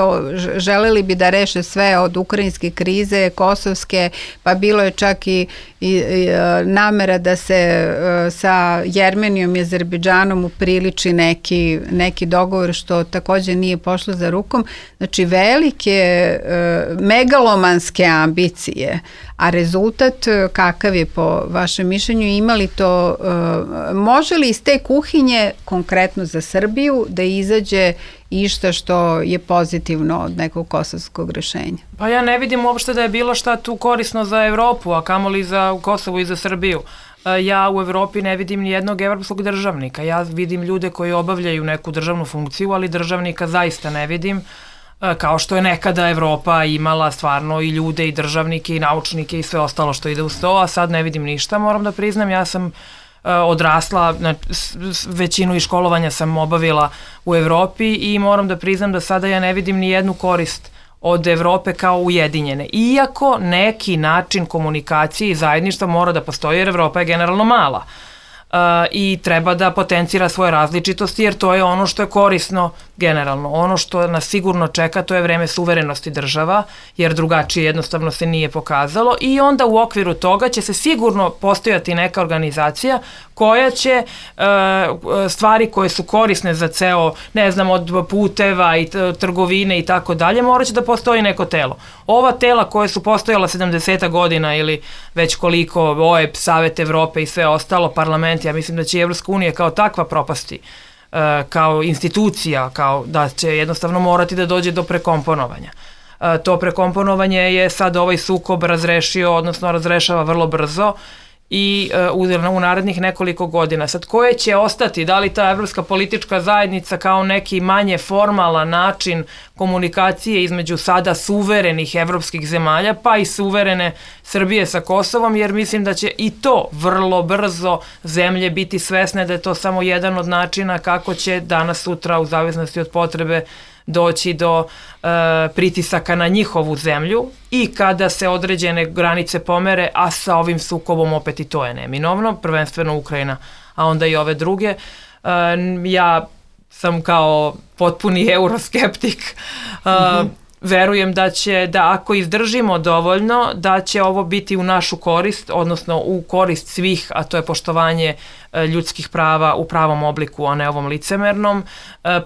C: želeli bi da reše sve od ukrajinske krize, kosovske, pa bilo je čak i, i, i namera da se sa Jermenijom i Azerbejdžanom upriliči neki, neki dogovor, što također nije pošlo za rukom. Znači velike megalomanske ambicije, a rezultat kakav je po vašem mišljenju, imali to, može li iz te kuhinje konkretno za Srbiju da izađe išta što je pozitivno od nekog kosovskog rešenja?
D: Pa ja ne vidim uopšte da je bilo šta tu korisno za Evropu, a kamoli za Kosovo i za Srbiju. Ja u Evropi ne vidim ni jednog evropskog državnika. Ja vidim ljude koji obavljaju neku državnu funkciju, ali državnika zaista ne vidim. Kao što je nekada Evropa imala stvarno i ljude i državnike i naučnike i sve ostalo što ide uz to, a sad ne vidim ništa, moram da priznam. Ja sam odrasla, većinu i školovanja sam obavila u Evropi i moram da priznam da sada ja ne vidim ni jednu korist od Evrope kao ujedinjene. Iako neki način komunikacije i zajedništva mora da postoji, jer Evropa je generalno mala. Uh, i treba da potencira svoje različitosti, jer to je ono što je korisno generalno. Ono što nas sigurno čeka, to je vreme suverenosti država, jer drugačije jednostavno se nije pokazalo, i onda u okviru toga će se sigurno postojati neka organizacija koja će uh, stvari koje su korisne za ceo, ne znam, od puteva i trgovine i tako dalje, morat će da postoji neko telo. Ova tela koje su postojala sedamdeset godina ili već koliko, O E B, Savet Evrope i sve ostalo, parlament, ja mislim da će Evropska unija kao takva propasti, uh, kao institucija, kao da će jednostavno morati da dođe do prekomponovanja. Uh, to prekomponovanje je sad ovaj sukob razrešio, odnosno razrešava vrlo brzo i uh, u, u narednih nekoliko godina. Sad, koje će ostati, da li ta evropska politička zajednica kao neki manje formalan način komunikacije između sada suverenih evropskih zemalja, pa i suverene Srbije sa Kosovom, jer mislim da će i to vrlo brzo zemlje biti svesne da je to samo jedan od načina kako će danas sutra, u zavisnosti od potrebe, doći do e, pritisaka na njihovu zemlju, i kada se određene granice pomere, a sa ovim sukobom opet i to je neminovno, prvenstveno Ukrajina, a onda i ove druge. E, ja sam kao potpuni euroskeptik, e, mm-hmm. verujem da će, da ako izdržimo dovoljno, da će ovo biti u našu korist, odnosno u korist svih, a to je poštovanje ljudskih prava u pravom obliku, a ne ovom licemernom,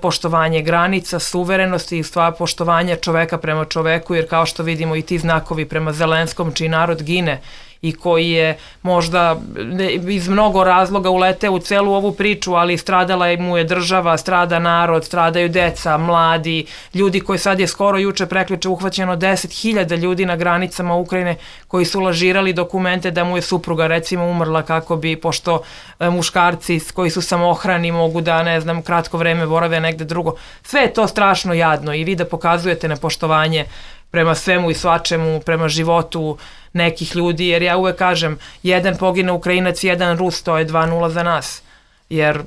D: poštovanje granica, suverenosti i stvar poštovanja čoveka prema čoveku, jer kao što vidimo i ti znakovi prema Zelenskom, čiji narod gine i koji je možda iz mnogo razloga uleteo u celu ovu priču, ali stradala mu je država, strada narod, stradaju deca, mladi, ljudi koji sad je skoro juče prekliče uhvaćeno deset hiljada ljudi na granicama Ukrajine koji su lažirali dokumente da mu je supruga recimo umrla kako bi, pošto muškarci koji su samohrani mogu da, ne znam, kratko vreme borave negde drugo. Sve je to strašno jadno i vi da pokazujete nepoštovanje prema svemu i svačemu, prema životu nekih ljudi, jer ja uvek kažem, jedan pogine Ukrajinac, jedan Rus, to je dva nula za nas, jer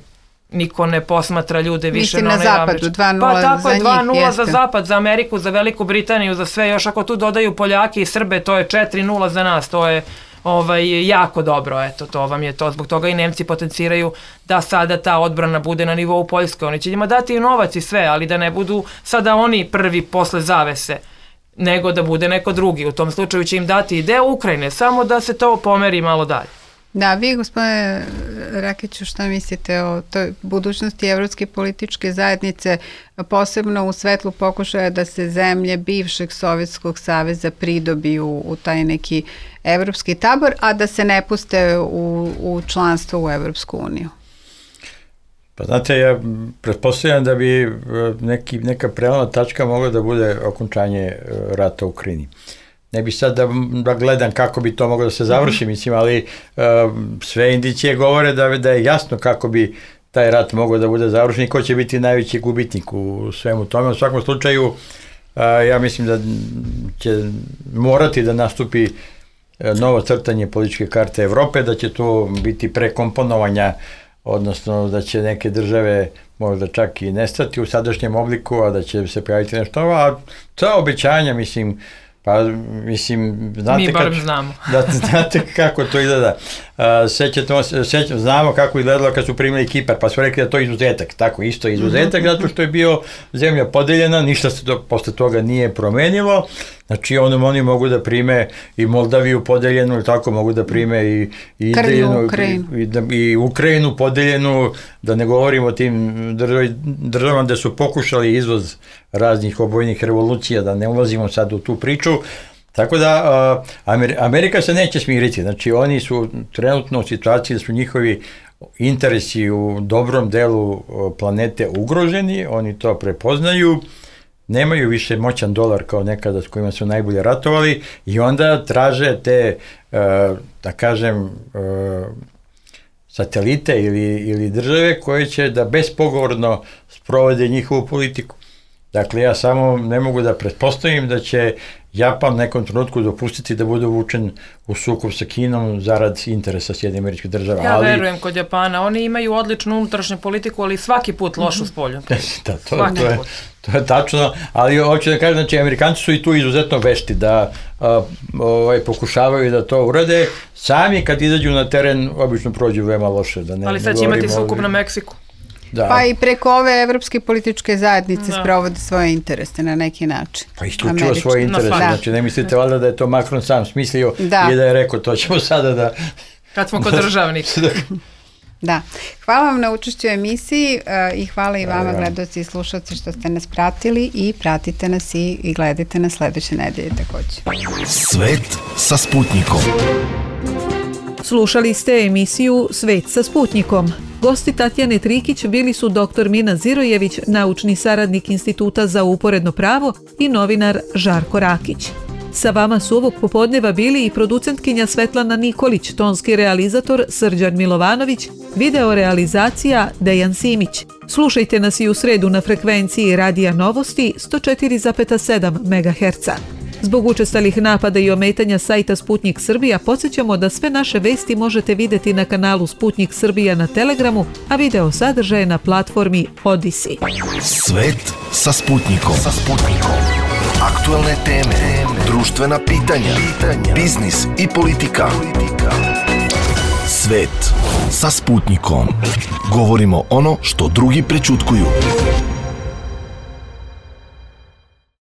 D: niko ne posmatra ljude više na,
C: na
D: onaj
C: zapadu, dva nula
D: pa, tako
C: za
D: je, dva nula
C: njih,
D: za zapad, za Ameriku, za Veliku Britaniju, za sve, još ako tu dodaju Poljaki i Srbe, to je četiri nula za nas, to je ovaj, jako dobro, eto, to vam je to, zbog toga i Nemci potenciraju da sada ta odbrana bude na nivou Poljske, oni će njima dati i novac i sve, ali da ne budu sada oni prvi posle zavese, nego da bude neko drugi, u tom slučaju će im dati i deo Ukrajine, samo da se to pomeri malo dalje.
C: Da, vi, gospodine Rakiću, šta mislite o toj budućnosti evropske političke zajednice, posebno u svetlu pokušaja da se zemlje bivšeg Sovjetskog saveza pridobiju u taj neki evropski tabor, a da se ne puste u, u članstvo u Evropsku uniju?
E: Pa znate, ja pretpostavljam da bi neki, neka prelomna tačka mogla da bude okončanje rata u Ukrajini. Ne bi sad da, da gledam kako bi to moglo da se završi, mislim, ali uh, sve indicije govore da, da je jasno kako bi taj rat mogao da bude završen i ko će biti najveći gubitnik u svemu tome. U svakom slučaju, uh, ja mislim da će morati da nastupi novo crtanje političke karte Evrope, da će to biti prekomponovanja, odnosno da će neke države možda čak i nestati u sadašnjem obliku, a da će se pojaviti nešto novo, a ta obećanja, mislim, pa, mislim, znate,
D: mi barem
E: kad,
D: znamo.
E: Da, znate kako to izgleda. Sećate, sećate, znamo kako izgledalo kad su primili Kipar, pa su rekli da to je izuzetak. Tako, isto izuzetak, zato što je bio zemlja podeljena, ništa se to, posle toga nije promenilo. Znači, ono, oni mogu da prime i Moldaviju podeljenu, ili tako, mogu da prime i, i,
C: Krnju,
E: Ukrajinu, i, i, i Ukrajinu podeljenu, da ne govorimo o tim državama gde su pokušali izvoz raznih obojnih revolucija, da ne ulazimo sad u tu priču. Tako da, Amerika se neće smiriti, znači oni su trenutno u situaciji da su njihovi interesi u dobrom delu planete ugroženi, oni to prepoznaju, nemaju više moćan dolar kao nekada s kojima su najbolje ratovali i onda traže te, da kažem, satelite ili, ili države koje će da bespogovorno sprovode njihovu politiku. Dakle, ja samo ne mogu da pretpostavim da će Japan nekom trenutku dopustiti da bude uvučen u sukob sa Kinom zarad interesa Sjedinjenih Američkih Država.
D: Ja
E: ali...
D: verujem kod Japana. Oni imaju odličnu unutrašnju politiku, ali svaki put lošu spolju.
E: Da, to, to, je, to je tačno, ali hoću da kažem, znači, Amerikanci su i tu izuzetno vešti da a, ovaj, pokušavaju da to urade. Sami kad izađu na teren, obično prođu veoma loše. Da ne,
D: ali sad će imati sukob na Meksiku.
C: Da. Pa i preko ove evropske političke zajednice da. Sprovode svoje interese na neki način.
E: Pa isključivo svoje interese, no, znači ne mislite valjda da je to Macron sam smislio da. I da je rekao to ćemo sada da...
D: Kad smo kod državnika.
C: Da. Hvala vam na učešću u emisiji uh, i hvala i vama, gledaoci i slušalci, što ste nas pratili i pratite nas i, i gledajte nas sledeće nedelje takođe.
A: Svet sa Sputnikom.
B: Slušali ste emisiju Svet sa Sputnikom. Gosti Tatjane Trikić bili su doktor Mina Zirojević, naučni saradnik Instituta za uporedno pravo i novinar Žarko Rakić. Sa vama su ovog popodneva bili i producentkinja Svetlana Nikolić, tonski realizator Srđan Milovanović, video realizacija Dejan Simić. Slušajte nas i u sredu na frekvenciji Radija Novosti sto četiri zarez sedam megaherca. Zbog učestalih napada i ometanja sajta Sputnik Srbija podsjećamo da sve naše vesti možete videti na kanalu Sputnik Srbija na Telegramu, a video sadržaje na platformi Odisi.
A: Svet sa Sputnikom. Sa Sputnikom. Aktuelne teme, društvena pitanja, biznis i politika. Svet sa Sputnikom. Govorimo ono što drugi prećutkuju.